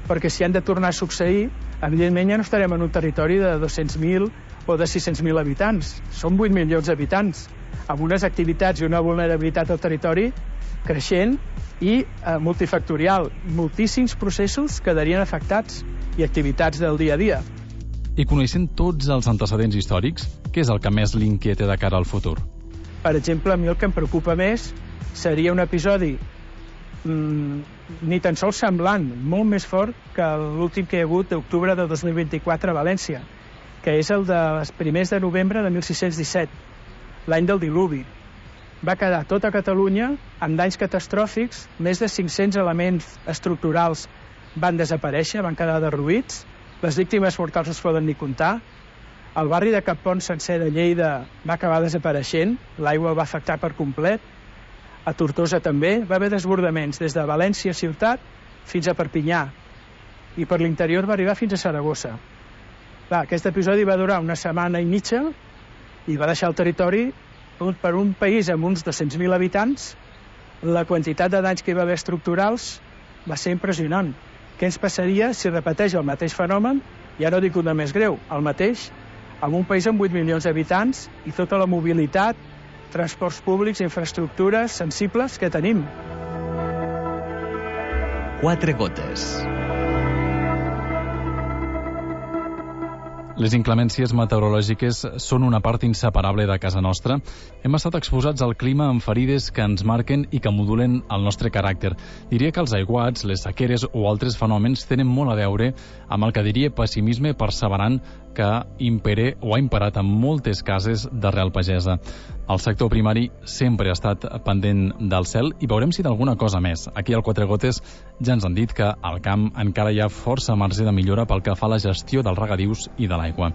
perquè si han de tornar a succeir, evidentment ja no estarem en un territori de dos-cents mil o de sis-cents mil habitants. Són vuit milions d'habitants, amb unes activitats i una vulnerabilitat al territori creixent i eh, multifactorial. Moltíssims processos quedarien afectats i activitats del dia a dia. I coneixent tots els antecedents històrics, què és el que més l'inquieta de cara al futur? Per exemple, a mi el que em preocupa més seria un episodi mm, ni tan sols semblant, molt més fort que l'últim que hi ha hagut d'octubre de dos mil vint-i-quatre a València, que és el dels primers de novembre de mil sis-cents disset, l'any del diluvi. Va quedar tota Catalunya amb danys catastròfics, més de cinc-cents elements estructurals van desaparèixer, van quedar derruïts, les víctimes mortals no es poden ni comptar, el barri de Cappont sencer de Lleida va acabar desapareixent, l'aigua el va afectar per complet, a Tortosa també, va haver desbordaments des de València ciutat fins a Perpinyà, i per l'interior va arribar fins a Saragossa. Clar, aquest episodi va durar una setmana i mitja i va deixar el territori per un país amb uns dos-cents mil habitants. La quantitat de danys que hi va haver estructurals va ser impressionant. Què ens passaria si repeteix el mateix fenomen, ja no dic una més greu, el mateix, amb un país amb vuit milions d'habitants i tota la mobilitat, transports públics, infraestructures sensibles que tenim? Quatre gotes. Les inclemències meteorològiques són una part inseparable de casa nostra. Hem estat exposats al clima amb ferides que ens marquen i que modulen el nostre caràcter. Diria que els aiguats, les sequeres o altres fenòmens tenen molt a veure amb el que diria pessimisme perseverant que impere o ha imperat en moltes cases d'arrel pagesa. El sector primari sempre ha estat pendent del cel i veurem si d'alguna cosa més. Aquí al Quatre Gotes ja ens han dit que al camp encara hi ha força marge de millora pel que fa a la gestió dels regadius i de l'aigua.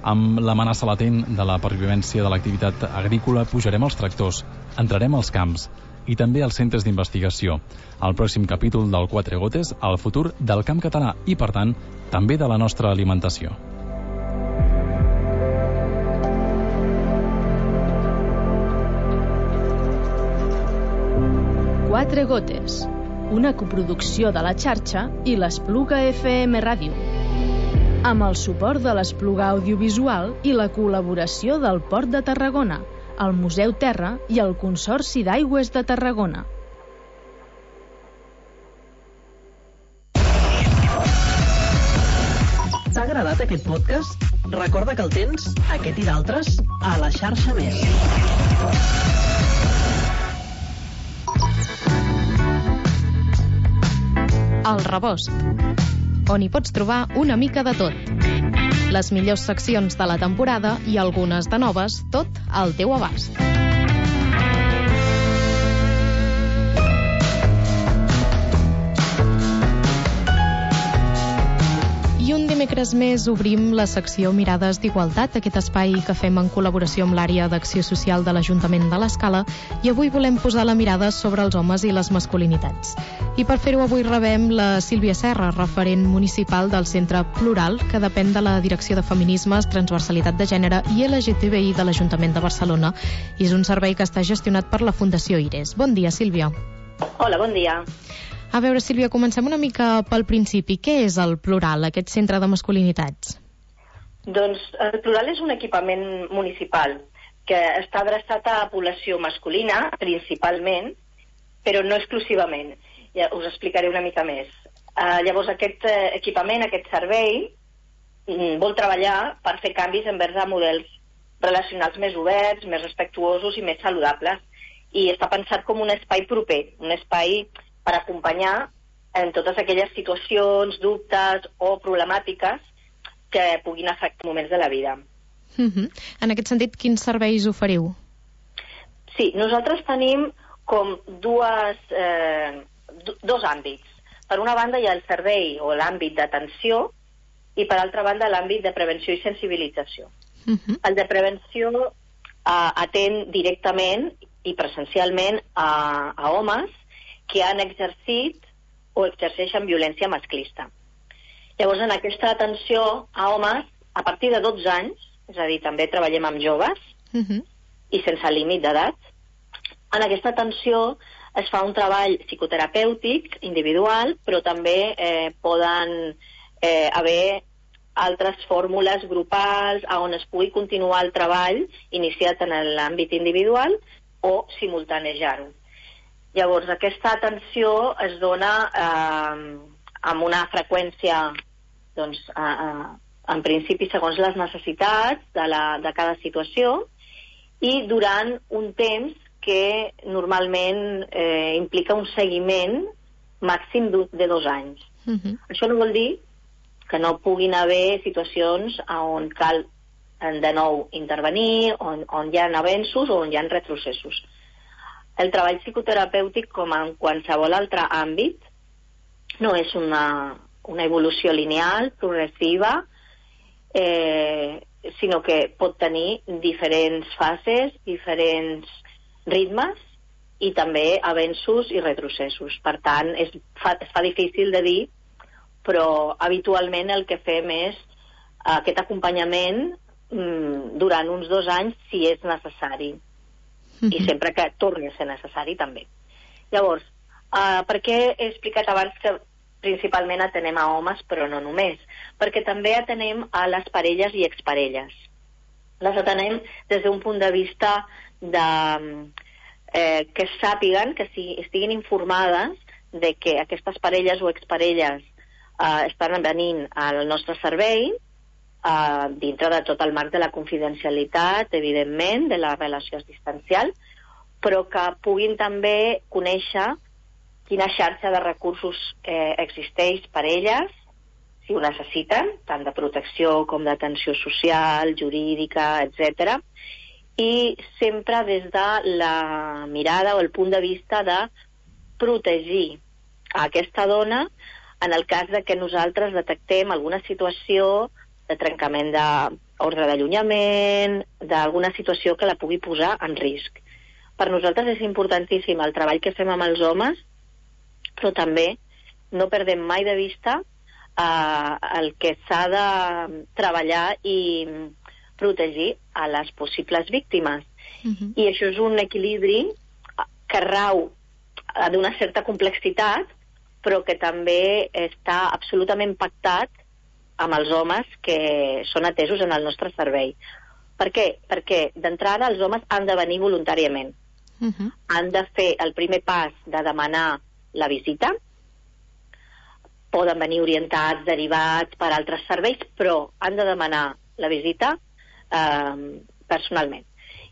Amb l'amenaça latent de la pervivència de l'activitat agrícola pujarem als tractors, entrarem als camps i també als centres d'investigació. Al pròxim capítol del Quatre Gotes, el futur del camp català i, per tant, també de la nostra alimentació. Quatre Gotes, una coproducció de la xarxa i l'Espluga F M Ràdio, amb el suport de l'Espluga Audiovisual i la col·laboració del Port de Tarragona, el Museu Terra i el Consorci d'Aigües de Tarragona. T'ha agradat aquest podcast? Recorda que el tens, aquest i d'altres, a la xarxa Més. El Rebost, on hi pots trobar una mica de tot. Les millors seccions de la temporada i algunes de noves, tot al teu abast. I un dimecres més obrim la secció Mirades d'Igualtat, aquest espai que fem en col·laboració amb l'àrea d'acció social de l'Ajuntament de l'Escala, i avui volem posar la mirada sobre els homes i les masculinitats. I per fer-ho avui rebem la Sílvia Serra, referent municipal del Centre Plural, que depèn de la Direcció de Feminismes, Transversalitat de Gènere i L G T B I de l'Ajuntament de Barcelona. I és un servei que està gestionat per la Fundació IRES. Bon dia, Sílvia. Hola, bon dia. A veure, Sílvia, comencem una mica pel principi. Què és el Plural, aquest centre de masculinitats? Doncs el Plural és un equipament municipal que està adreçat a població masculina, principalment, però no exclusivament. Ja us explicaré una mica més. Uh, llavors, aquest uh, equipament, aquest servei, mm, vol treballar per fer canvis envers a models relacionals més oberts, més respectuosos i més saludables. I està pensat com un espai proper, un espai per acompanyar en totes aquelles situacions, dubtes o problemàtiques que puguin afectar moments de la vida. Uh-huh. En aquest sentit, quins serveis oferiu? Sí, nosaltres tenim com dues, eh, dos àmbits. Per una banda hi ha el servei o l'àmbit d'atenció i per altra banda l'àmbit de prevenció i sensibilització. Uh-huh. El de prevenció eh, atén directament i presencialment a, a homes que han exercit o exerceixen violència masclista. Llavors, en aquesta atenció a homes, a partir de dotze anys, és a dir, també treballem amb joves, uh-huh. i sense límit d'edat, en aquesta atenció es fa un treball psicoterapèutic individual, però també eh, poden eh, haver altres fórmules grupals on es pugui continuar el treball iniciat en l'àmbit individual o simultanejar-ho. Llavors, aquesta atenció es dona eh, amb una freqüència, doncs, eh, en principi segons les necessitats de, la, de cada situació i durant un temps que normalment eh, implica un seguiment màxim de dos anys. Uh-huh. Això no vol dir que no puguin haver situacions on cal de nou intervenir, on, on hi ha avenços o on hi ha retrocessos. El treball psicoterapèutic, com en qualsevol altre àmbit, no és una, una evolució lineal, progressiva, eh, sinó que pot tenir diferents fases, diferents ritmes i també avenços i retrocessos. Per tant, es fa, es fa difícil de dir, però habitualment el que fem és aquest acompanyament mm, durant uns dos anys si és necessari. Mm-hmm. I sempre que torni a ser necessari també. Llavors, uh, per què he explicat abans que principalment atenem a homes, però no només? Perquè també atenem a les parelles i exparelles. Les atenem des d'un punt de vista de, eh, que sàpiguen, que si estiguin informades de que aquestes parelles o exparelles eh, estan venint al nostre servei, Uh, dintre de tot el marc de la confidencialitat, evidentment, de la relació distancial, però que puguin també conèixer quina xarxa de recursos eh, existeix per elles, si ho necessiten, tant de protecció com d'atenció social, jurídica, etcètera, i sempre des de la mirada o el punt de vista de protegir a aquesta dona en el cas de que nosaltres detectem alguna situació de trencament d'ordre d'allunyament, d'alguna situació que la pugui posar en risc. Per nosaltres és importantíssim el treball que fem amb els homes, però també no perdem mai de vista eh, el que s'ha de treballar i protegir a les possibles víctimes. Uh-huh. I això és un equilibri que rau d'una certa complexitat, però que també està absolutament pactat amb els homes que són atesos en el nostre servei. Per què? Perquè d'entrada els homes han de venir voluntàriament. Uh-huh. Han de fer el primer pas de demanar la visita, poden venir orientats, derivats per altres serveis, però han de demanar la visita eh, personalment.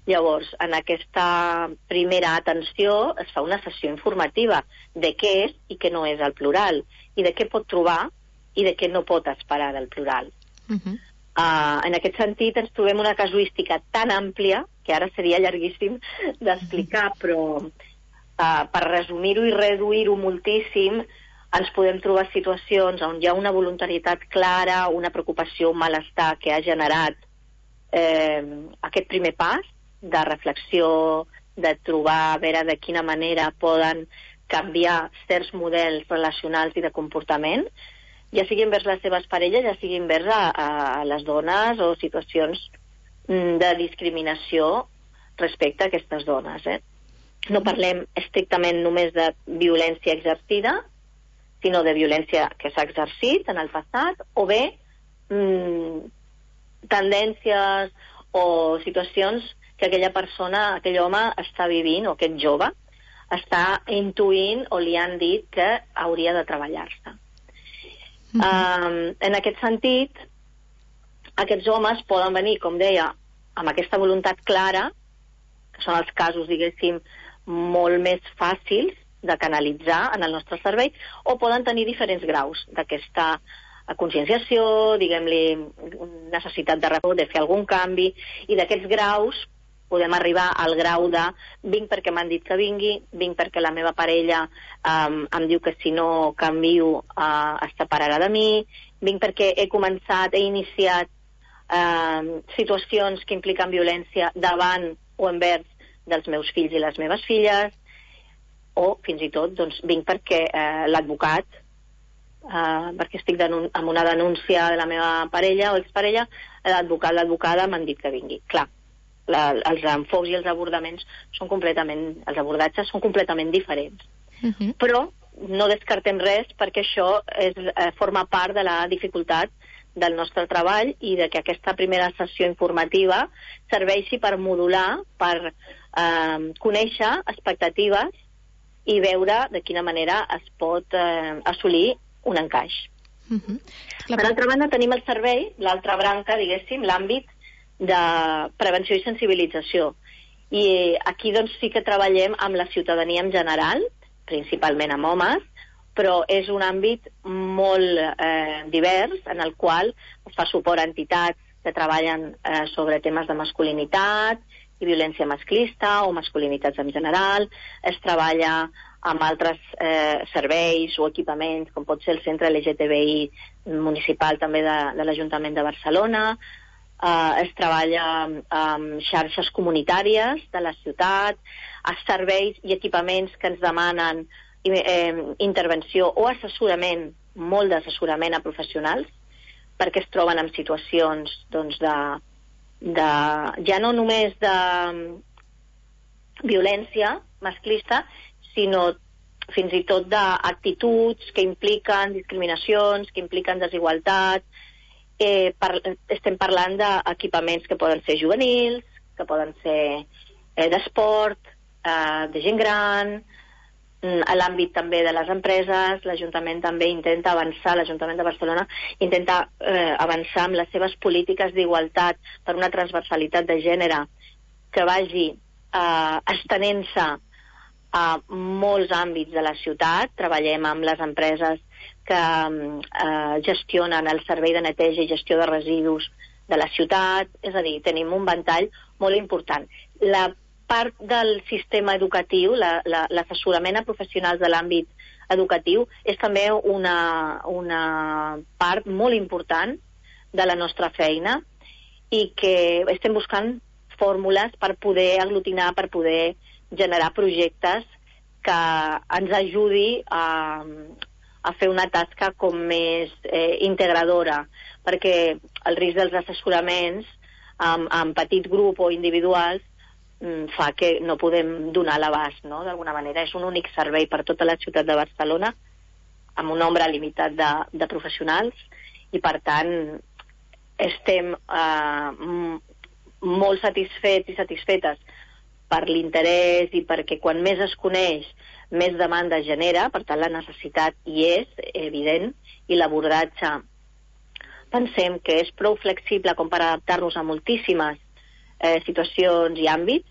Llavors, en aquesta primera atenció es fa una sessió informativa de què és i què no és el plural, i de què pot trobar i de què no pot esperar del plural. Uh-huh. Uh, en aquest sentit, ens trobem una casuística tan àmplia, que ara seria llarguíssim d'explicar, uh-huh. però uh, per resumir-ho i reduir-ho moltíssim, ens podem trobar situacions on hi ha una voluntarietat clara, una preocupació, un malestar que ha generat eh, aquest primer pas de reflexió, de trobar a veure de quina manera poden canviar certs models relacionals i de comportament, ja sigui envers les seves parelles, ja sigui envers a, a les dones o situacions de discriminació respecte a aquestes dones. Eh? No parlem estrictament només de violència exercida, sinó de violència que s'ha exercit en el passat, o bé mmm, tendències o situacions que aquella persona, aquell home està vivint, o aquest jove, està intuint o li han dit que hauria de treballar-se. Uh-huh. Um, en aquest sentit, aquests homes poden venir, com deia, amb aquesta voluntat clara, que són els casos, diguéssim, molt més fàcils de canalitzar en el nostre servei, o poden tenir diferents graus d'aquesta conscienciació, diguem-li, necessitat de, de fer algun canvi, i d'aquests graus podem arribar al grau de vinc perquè m'han dit que vingui, vinc perquè la meva parella um, em diu que si no canvio uh, es separarà de mi, vinc perquè he començat, he iniciat uh, situacions que impliquen violència davant o envers dels meus fills i les meves filles, o fins i tot doncs, vinc perquè uh, l'advocat, uh, perquè estic amb una denúncia de la meva parella o exparella, l'advocat, l'advocada m'han dit que vingui. Clar, La, els enfocs i els abordaments són completament, els abordatges són completament diferents. Uh-huh. Però no descartem res perquè això és, eh, forma part de la dificultat del nostre treball i de que aquesta primera sessió informativa serveixi per modular, per eh, conèixer expectatives i veure de quina manera es pot eh, assolir un encaix. Uh-huh. Per altra banda, tenim el servei, l'altra branca, diguéssim, l'àmbit de prevenció i sensibilització. I aquí doncs sí que treballem amb la ciutadania en general, principalment amb homes, però és un àmbit molt eh, divers, en el qual es fa suport a entitats que treballen eh, sobre temes de masculinitat i violència masclista o masculinitats en general. Es treballa amb altres eh, serveis o equipaments, com pot ser el Centre L G T B I municipal també de, de l'Ajuntament de Barcelona. Eh, es treballa amb xarxes comunitàries de la ciutat, a serveis i equipaments que ens demanen eh, intervenció o assessorament, molt d'assessorament a professionals, perquè es troben en situacions doncs, de, de, ja no només de violència masclista, sinó fins i tot d'actituds que impliquen discriminacions, que impliquen desigualtat. Eh, par, estem parlant d'equipaments que poden ser juvenils, que poden ser eh, d'esport, eh, de gent gran, a l'àmbit també de les empreses. L'Ajuntament també intenta avançar, l'Ajuntament de Barcelona intenta eh, avançar amb les seves polítiques d'igualtat per una transversalitat de gènere que vagi eh, estenent-se a molts àmbits de la ciutat. Treballem amb les empreses que eh, gestionen el servei de neteja i gestió de residus de la ciutat, és a dir, tenim un ventall molt important. La part del sistema educatiu, l'assessorament la, la, a professionals de l'àmbit educatiu, és també una, una part molt important de la nostra feina i que estem buscant fórmules per poder aglutinar, per poder generar projectes que ens ajudi a, a fer una tasca com més eh, integradora, perquè el risc dels assessoraments en, en petit grup o individuals fa que no podem donar l'abast, no? D'alguna manera és un únic servei per tota la ciutat de Barcelona amb un nombre limitat de, de professionals i per tant estem eh, molt satisfets i satisfetes per l'interès i perquè quan més es coneix més demanda genera, per tant la necessitat hi és evident i l'abordatge pensem que és prou flexible com per adaptar-nos a moltíssimes eh, situacions i àmbits,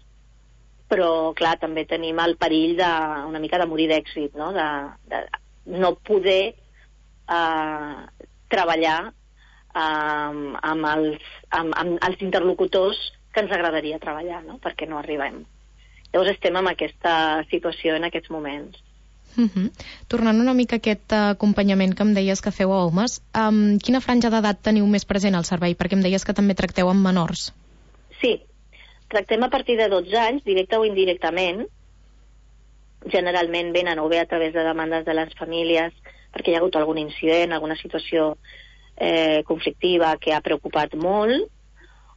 però, clar, també tenim el perill de, una mica de morir d'èxit, no? De, de no poder eh, treballar eh, amb, els, amb, amb els interlocutors que ens agradaria treballar, no? Perquè no arribem. Llavors estem en aquesta situació en aquests moments. Uh-huh. Tornant una mica a aquest acompanyament que em deies que feu a homes, um, quina franja d'edat teniu més present al servei? Perquè em deies que també tracteu amb menors. Sí, tractem a partir de dotze anys, directe o indirectament. Generalment venen o bé a través de demandes de les famílies perquè hi ha hagut algun incident, alguna situació eh, conflictiva que ha preocupat molt,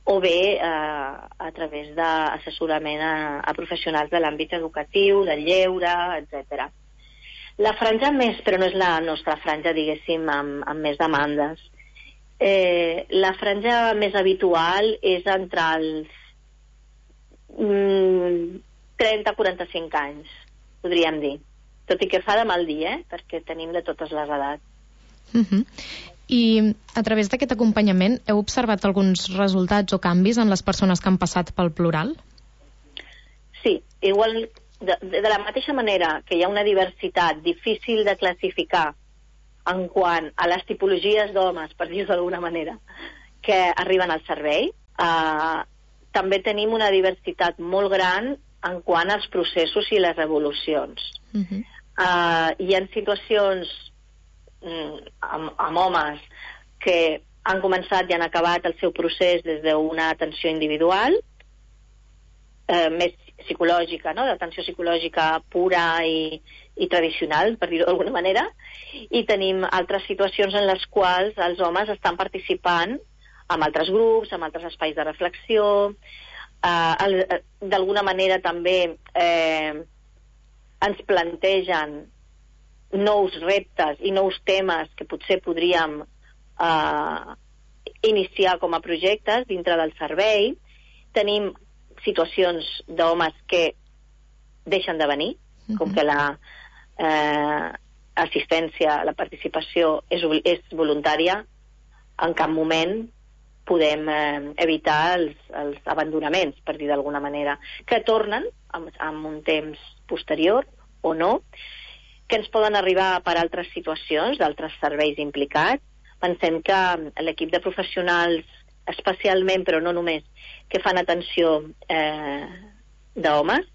o bé eh, a través d'assessorament a, a professionals de l'àmbit educatiu, del lleure, etcètera. La franja més, però no és la nostra franja, diguéssim, amb, amb més demandes. Eh, la franja més habitual és entre els mm, trenta a quaranta-cinc anys, podríem dir. Tot i que fa de mal dir, eh? Perquè tenim de totes les edats. Uh-huh. I a través d'aquest acompanyament heu observat alguns resultats o canvis en les persones que han passat pel plural? Sí, igual de, de la mateixa manera que hi ha una diversitat difícil de classificar en quant a les tipologies d'homes, per dir-ho d'alguna manera, que arriben al servei, eh, també tenim una diversitat molt gran en quant als processos i les evolucions. Uh-huh. eh, hi ha situacions Amb, amb homes que han començat i han acabat el seu procés des d'una atenció individual, eh, més psicològica, no? D'atenció psicològica pura i, i tradicional, per dir-ho d'alguna manera, i tenim altres situacions en les quals els homes estan participant amb altres grups, amb altres espais de reflexió, eh, d'alguna manera també eh, ens plantegen nous reptes i nous temes que potser podríem eh, iniciar com a projectes dintre del servei. Tenim situacions d'homes que deixen de venir, uh-huh. com que la eh, assistència, la participació és, és voluntària. En cap moment podem eh, evitar els, els abandonaments, per dir d'alguna manera, que tornen amb, amb un temps posterior o no. que ens poden arribar per altres situacions, d'altres serveis implicats. Pensem que l'equip de professionals, especialment, però no només, que fan atenció eh, d'homes,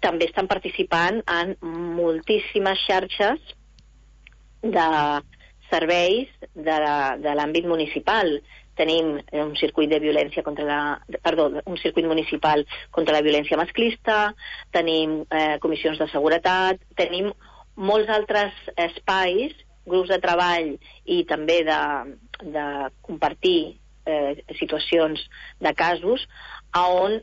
també estan participant en moltíssimes xarxes de serveis de l'àmbit municipal. Tenim un circuit de violència contra la... Perdó, un circuit municipal contra la violència masclista, tenim eh, comissions de seguretat, tenim molts altres espais, grups de treball i també de, de compartir eh, situacions de casos on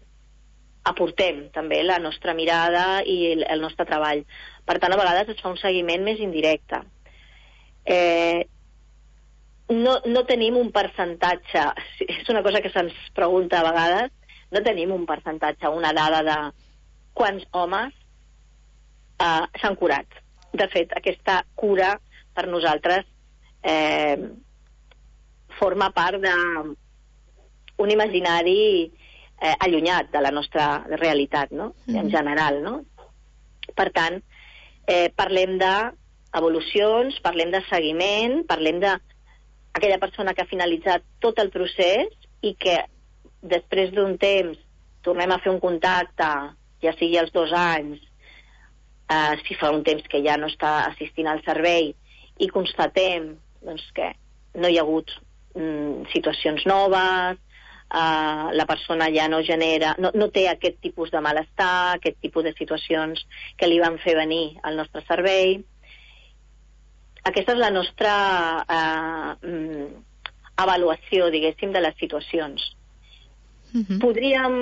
aportem també la nostra mirada i el, el nostre treball. Per tant, a vegades es fa un seguiment més indirecte. Eh, no, no tenim un percentatge, és una cosa que se'ns pregunta a vegades, no tenim un percentatge, una dada de quants homes eh, s'han curat. De fet, aquesta cura per nosaltres eh, forma part d'un imaginari eh, allunyat de la nostra realitat, no? Mm. En general, no? Per tant, eh, parlem d'evolucions, parlem de seguiment, parlem d'aquella persona que ha finalitzat tot el procés i que després d'un temps tornem a fer un contacte, ja sigui als dos anys, eh, si fa un temps que ja no està assistint al servei, i constatem doncs, que no hi ha hagut mm, situacions noves, uh, la persona ja no genera, no, no té aquest tipus de malestar, aquest tipus de situacions que li van fer venir al nostre servei. Aquesta és la nostra uh, mm, avaluació, diguéssim, de les situacions. Mm-hmm. Podríem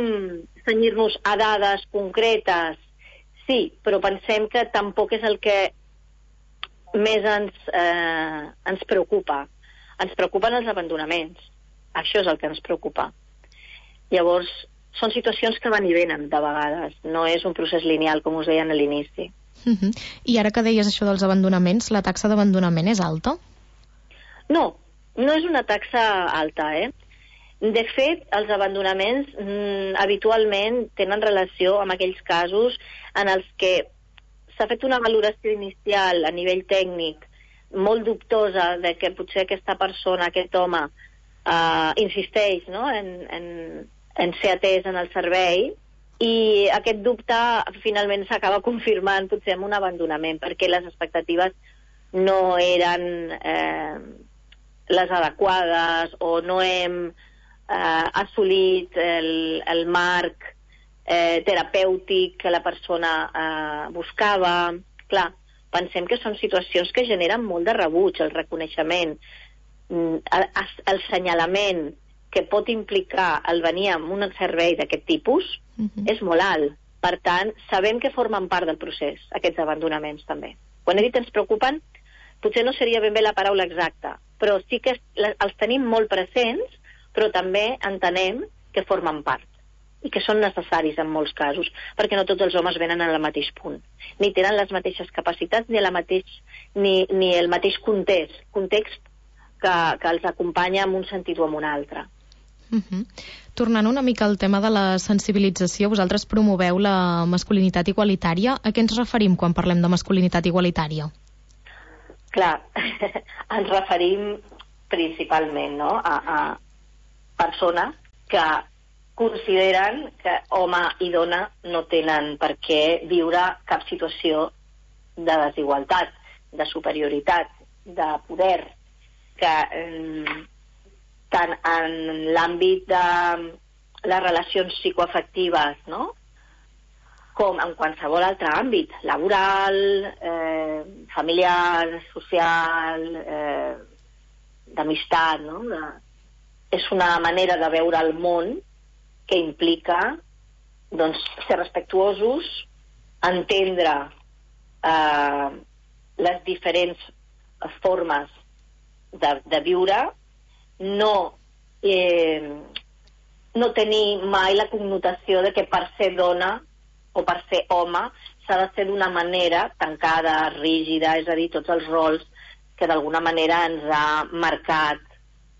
cenyir-nos a dades concretes? Sí, però pensem que tampoc és el que més ens, eh, ens preocupa. Ens preocupen els abandonaments. Això és el que ens preocupa. Llavors, són situacions que van i venen de vegades. No és un procés lineal, com us deien a l'inici. Uh-huh. I ara que deies això dels abandonaments, la taxa d'abandonament és alta? No, no és una taxa alta, eh? De fet, els abandonaments mm, habitualment tenen relació amb aquells casos en els que s'ha fet una valoració inicial a nivell tècnic molt dubtosa de que potser aquesta persona, aquest home, eh, insisteix, no?, en, en, en ser atès en el servei, i aquest dubte finalment s'acaba confirmant potser amb un abandonament, perquè les expectatives no eren eh, les adequades o no hem eh, assolit el, el marc Eh, terapèutic que la persona eh, buscava. Clar, pensem que són situacions que generen molt de rebuig, el reconeixement, el, el senyalament que pot implicar el venir amb un servei d'aquest tipus, uh-huh. és molt alt. Per tant, sabem que formen part del procés, aquests abandonaments també. Quan he dit ens preocupen, potser no seria ben bé la paraula exacta, però sí que els tenim molt presents, però també entenem que formen part i que són necessaris en molts casos, perquè no tots els homes venen al mateix punt, ni tenen les mateixes capacitats, ni, la mateix, ni, ni el mateix context, context que, que els acompanya en un sentit o en un altre. Uh-huh. Tornant una mica al tema de la sensibilització, vosaltres promoveu la masculinitat igualitària. A què ens referim quan parlem de masculinitat igualitària? Clar, ens referim principalment, no?, a, a persones que consideren que home i dona no tenen per què viure cap situació de desigualtat, de superioritat, de poder, que eh, tant en l'àmbit de les relacions psicoafectives, no?, com en qualsevol altre àmbit, laboral, eh, familiar, social, eh, d'amistat, no?, de... és una manera de veure el món que implica doncs, ser respectuosos, entendre eh, les diferents formes de, de viure, no, eh, no tenir mai la connotació de que per ser dona o per ser home s'ha de ser d'una manera tancada, rígida, és a dir, tots els rols que d'alguna manera ens ha marcat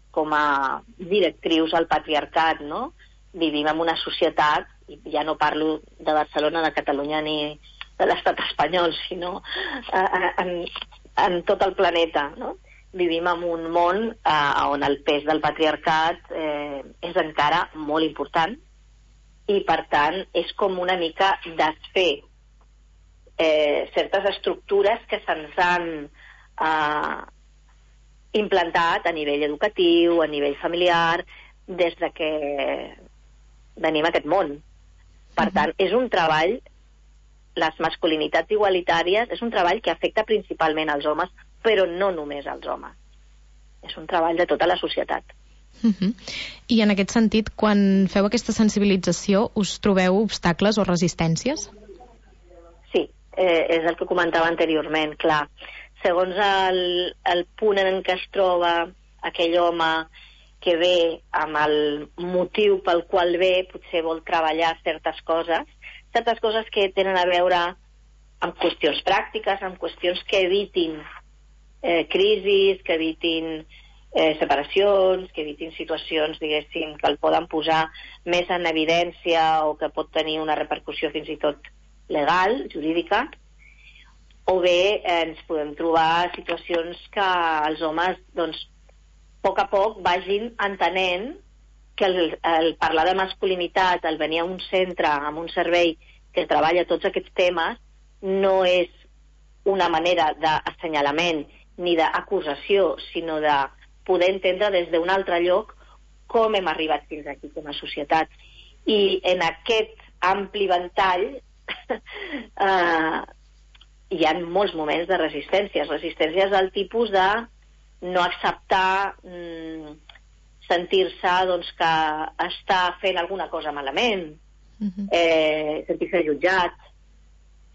com a directrius al patriarcat, no? Vivim en una societat, i ja no parlo de Barcelona, de Catalunya ni, de l'estat espanyol, sinó eh, en, en tot el planeta, no? Vivim en un món eh, on el pes del patriarcat eh, és encara molt important i, per tant, és com una mica desfer eh, certes estructures que se'ns han eh, implantat a nivell educatiu, a nivell familiar, des de que venim a aquest món. Per tant, és un treball, les masculinitats igualitàries, és un treball que afecta principalment als homes, però no només als homes. És un treball de tota la societat. Uh-huh. I en aquest sentit, quan feu aquesta sensibilització, us trobeu obstacles o resistències? Sí, eh, és el que comentava anteriorment, clar. Segons el, el punt en què es troba aquell home que ve amb el motiu pel qual ve, potser vol treballar certes coses, certes coses que tenen a veure amb qüestions pràctiques, amb qüestions que evitin eh, crisis, que evitin eh, separacions, que evitin situacions, diguéssim, que el poden posar més en evidència o que pot tenir una repercussió fins i tot legal, jurídica, o bé eh, ens podem trobar situacions que els homes, doncs, a poc a poc vagin entenent que el, el parlar de masculinitat, el venir a un centre, a un servei que treballa tots aquests temes, no és una manera d'assenyalament ni d'acusació, sinó de poder entendre des d'un altre lloc com hem arribat fins aquí com a societat. I en aquest ampli ventall eh, hi ha molts moments de resistències. Resistències del tipus de no acceptar mm, sentir-se doncs, que està fent alguna cosa malament, uh-huh. eh, sentir-se jutjat,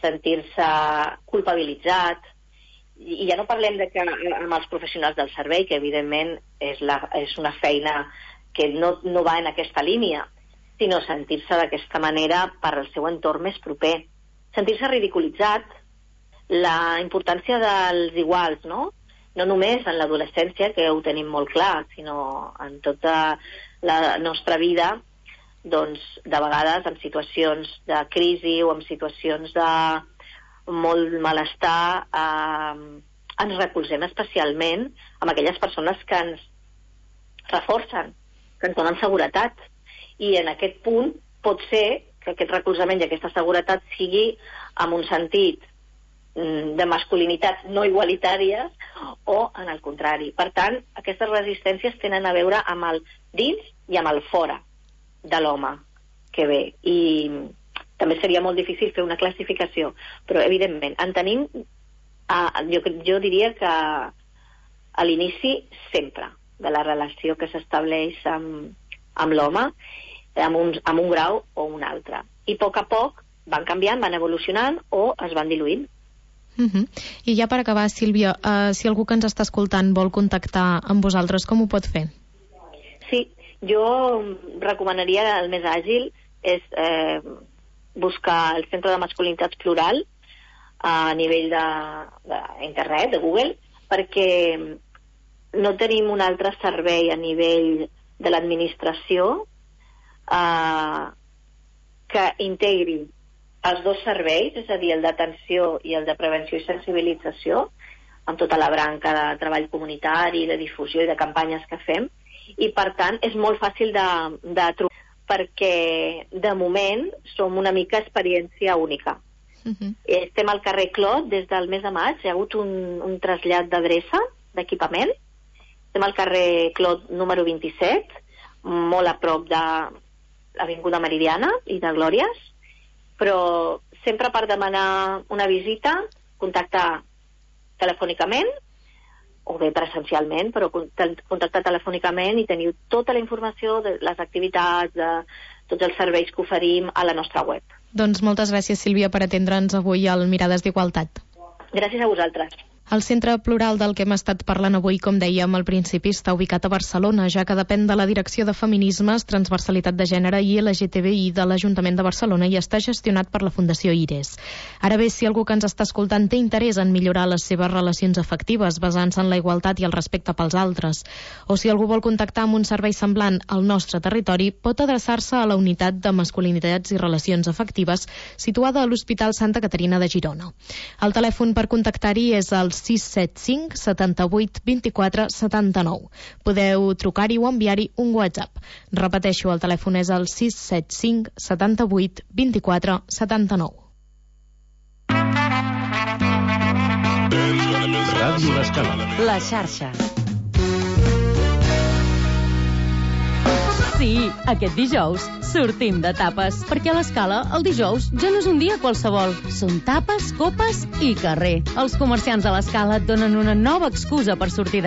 sentir-se culpabilitzat. I ja no parlem de que amb els professionals del servei, que evidentment és, la, és una feina que no, no va en aquesta línia, sinó sentir-se d'aquesta manera per al seu entorn més proper. Sentir-se ridiculitzat, la importància dels iguals, no? No només en l'adolescència, que ho tenim molt clar, sinó en tota la nostra vida, doncs, de vegades en situacions de crisi o en situacions de molt malestar, eh, ens recolzem especialment amb aquelles persones que ens reforcen, que ens donen seguretat. I en aquest punt pot ser que aquest recolzament i aquesta seguretat sigui en un sentit de masculinitats no igualitàries o en el contrari. Per tant, aquestes resistències tenen a veure amb el dins i amb el fora de l'home que ve. I també seria molt difícil fer una classificació, però evidentment en tenim, eh, jo, jo diria que a l'inici sempre de la relació que s'estableix amb, amb l'home, amb un, amb un grau o un altre. I a poc a poc van canviant, van evolucionant o es van diluint. Uh-huh. I ja per acabar, Sílvia, uh, si algú que ens està escoltant vol contactar amb vosaltres, com ho pot fer? Sí, jo recomanaria el més àgil és eh, buscar el Centre de Masculinitats Plural a nivell d'internet, de, de Google, perquè no tenim un altre servei a nivell de l'administració eh, que integri els dos serveis, és a dir, el d'atenció i el de prevenció i sensibilització, amb tota la branca de treball comunitari, de difusió i de campanyes que fem, i per tant és molt fàcil de, de trobar, perquè de moment som una mica experiència única. Uh-huh. Estem al carrer Clot des del mes de maig, hi ha hagut un, un trasllat d'adreça, d'equipament. Estem al carrer Clot número vint-i-set, molt a prop de l'Avinguda Meridiana i de Glòries, però sempre per demanar una visita, contactar telefònicament, o bé presencialment, però contactar telefònicament i teniu tota la informació de les activitats, de tots els serveis que oferim a la nostra web. Doncs moltes gràcies, Sílvia, per atendre'ns avui al Mirades d'Igualtat. Gràcies a vosaltres. El Centre Plural del que hem estat parlant avui, com dèiem al principi, està ubicat a Barcelona, ja que depèn de la Direcció de Feminismes, Transversalitat de Gènere i L G T B I de l'Ajuntament de Barcelona i està gestionat per la Fundació IRES. Ara bé, si algú que ens està escoltant té interès en millorar les seves relacions afectives basant-se en la igualtat i el respecte pels altres, o si algú vol contactar amb un servei semblant al nostre territori, pot adreçar-se a la Unitat de Masculinitats i Relacions Afectives situada a l'Hospital Santa Caterina de Girona. El telèfon per contactar-hi és el sis set cinc setanta-vuit vint-i-quatre setanta-nou. Podeu trucar-hi o enviar-hi un WhatsApp. Repeteixo, el telèfon és el sis set cinc setanta-vuit vint-i-quatre setanta-nou. Ràdio L'Escala. La xarxa. Sí, aquest dijous sortim de tapes, perquè a l'Escala el dijous ja no és un dia qualsevol. Són tapes, copes i carrer. Els comerciants de l'Escala et donen una nova excusa per sortir de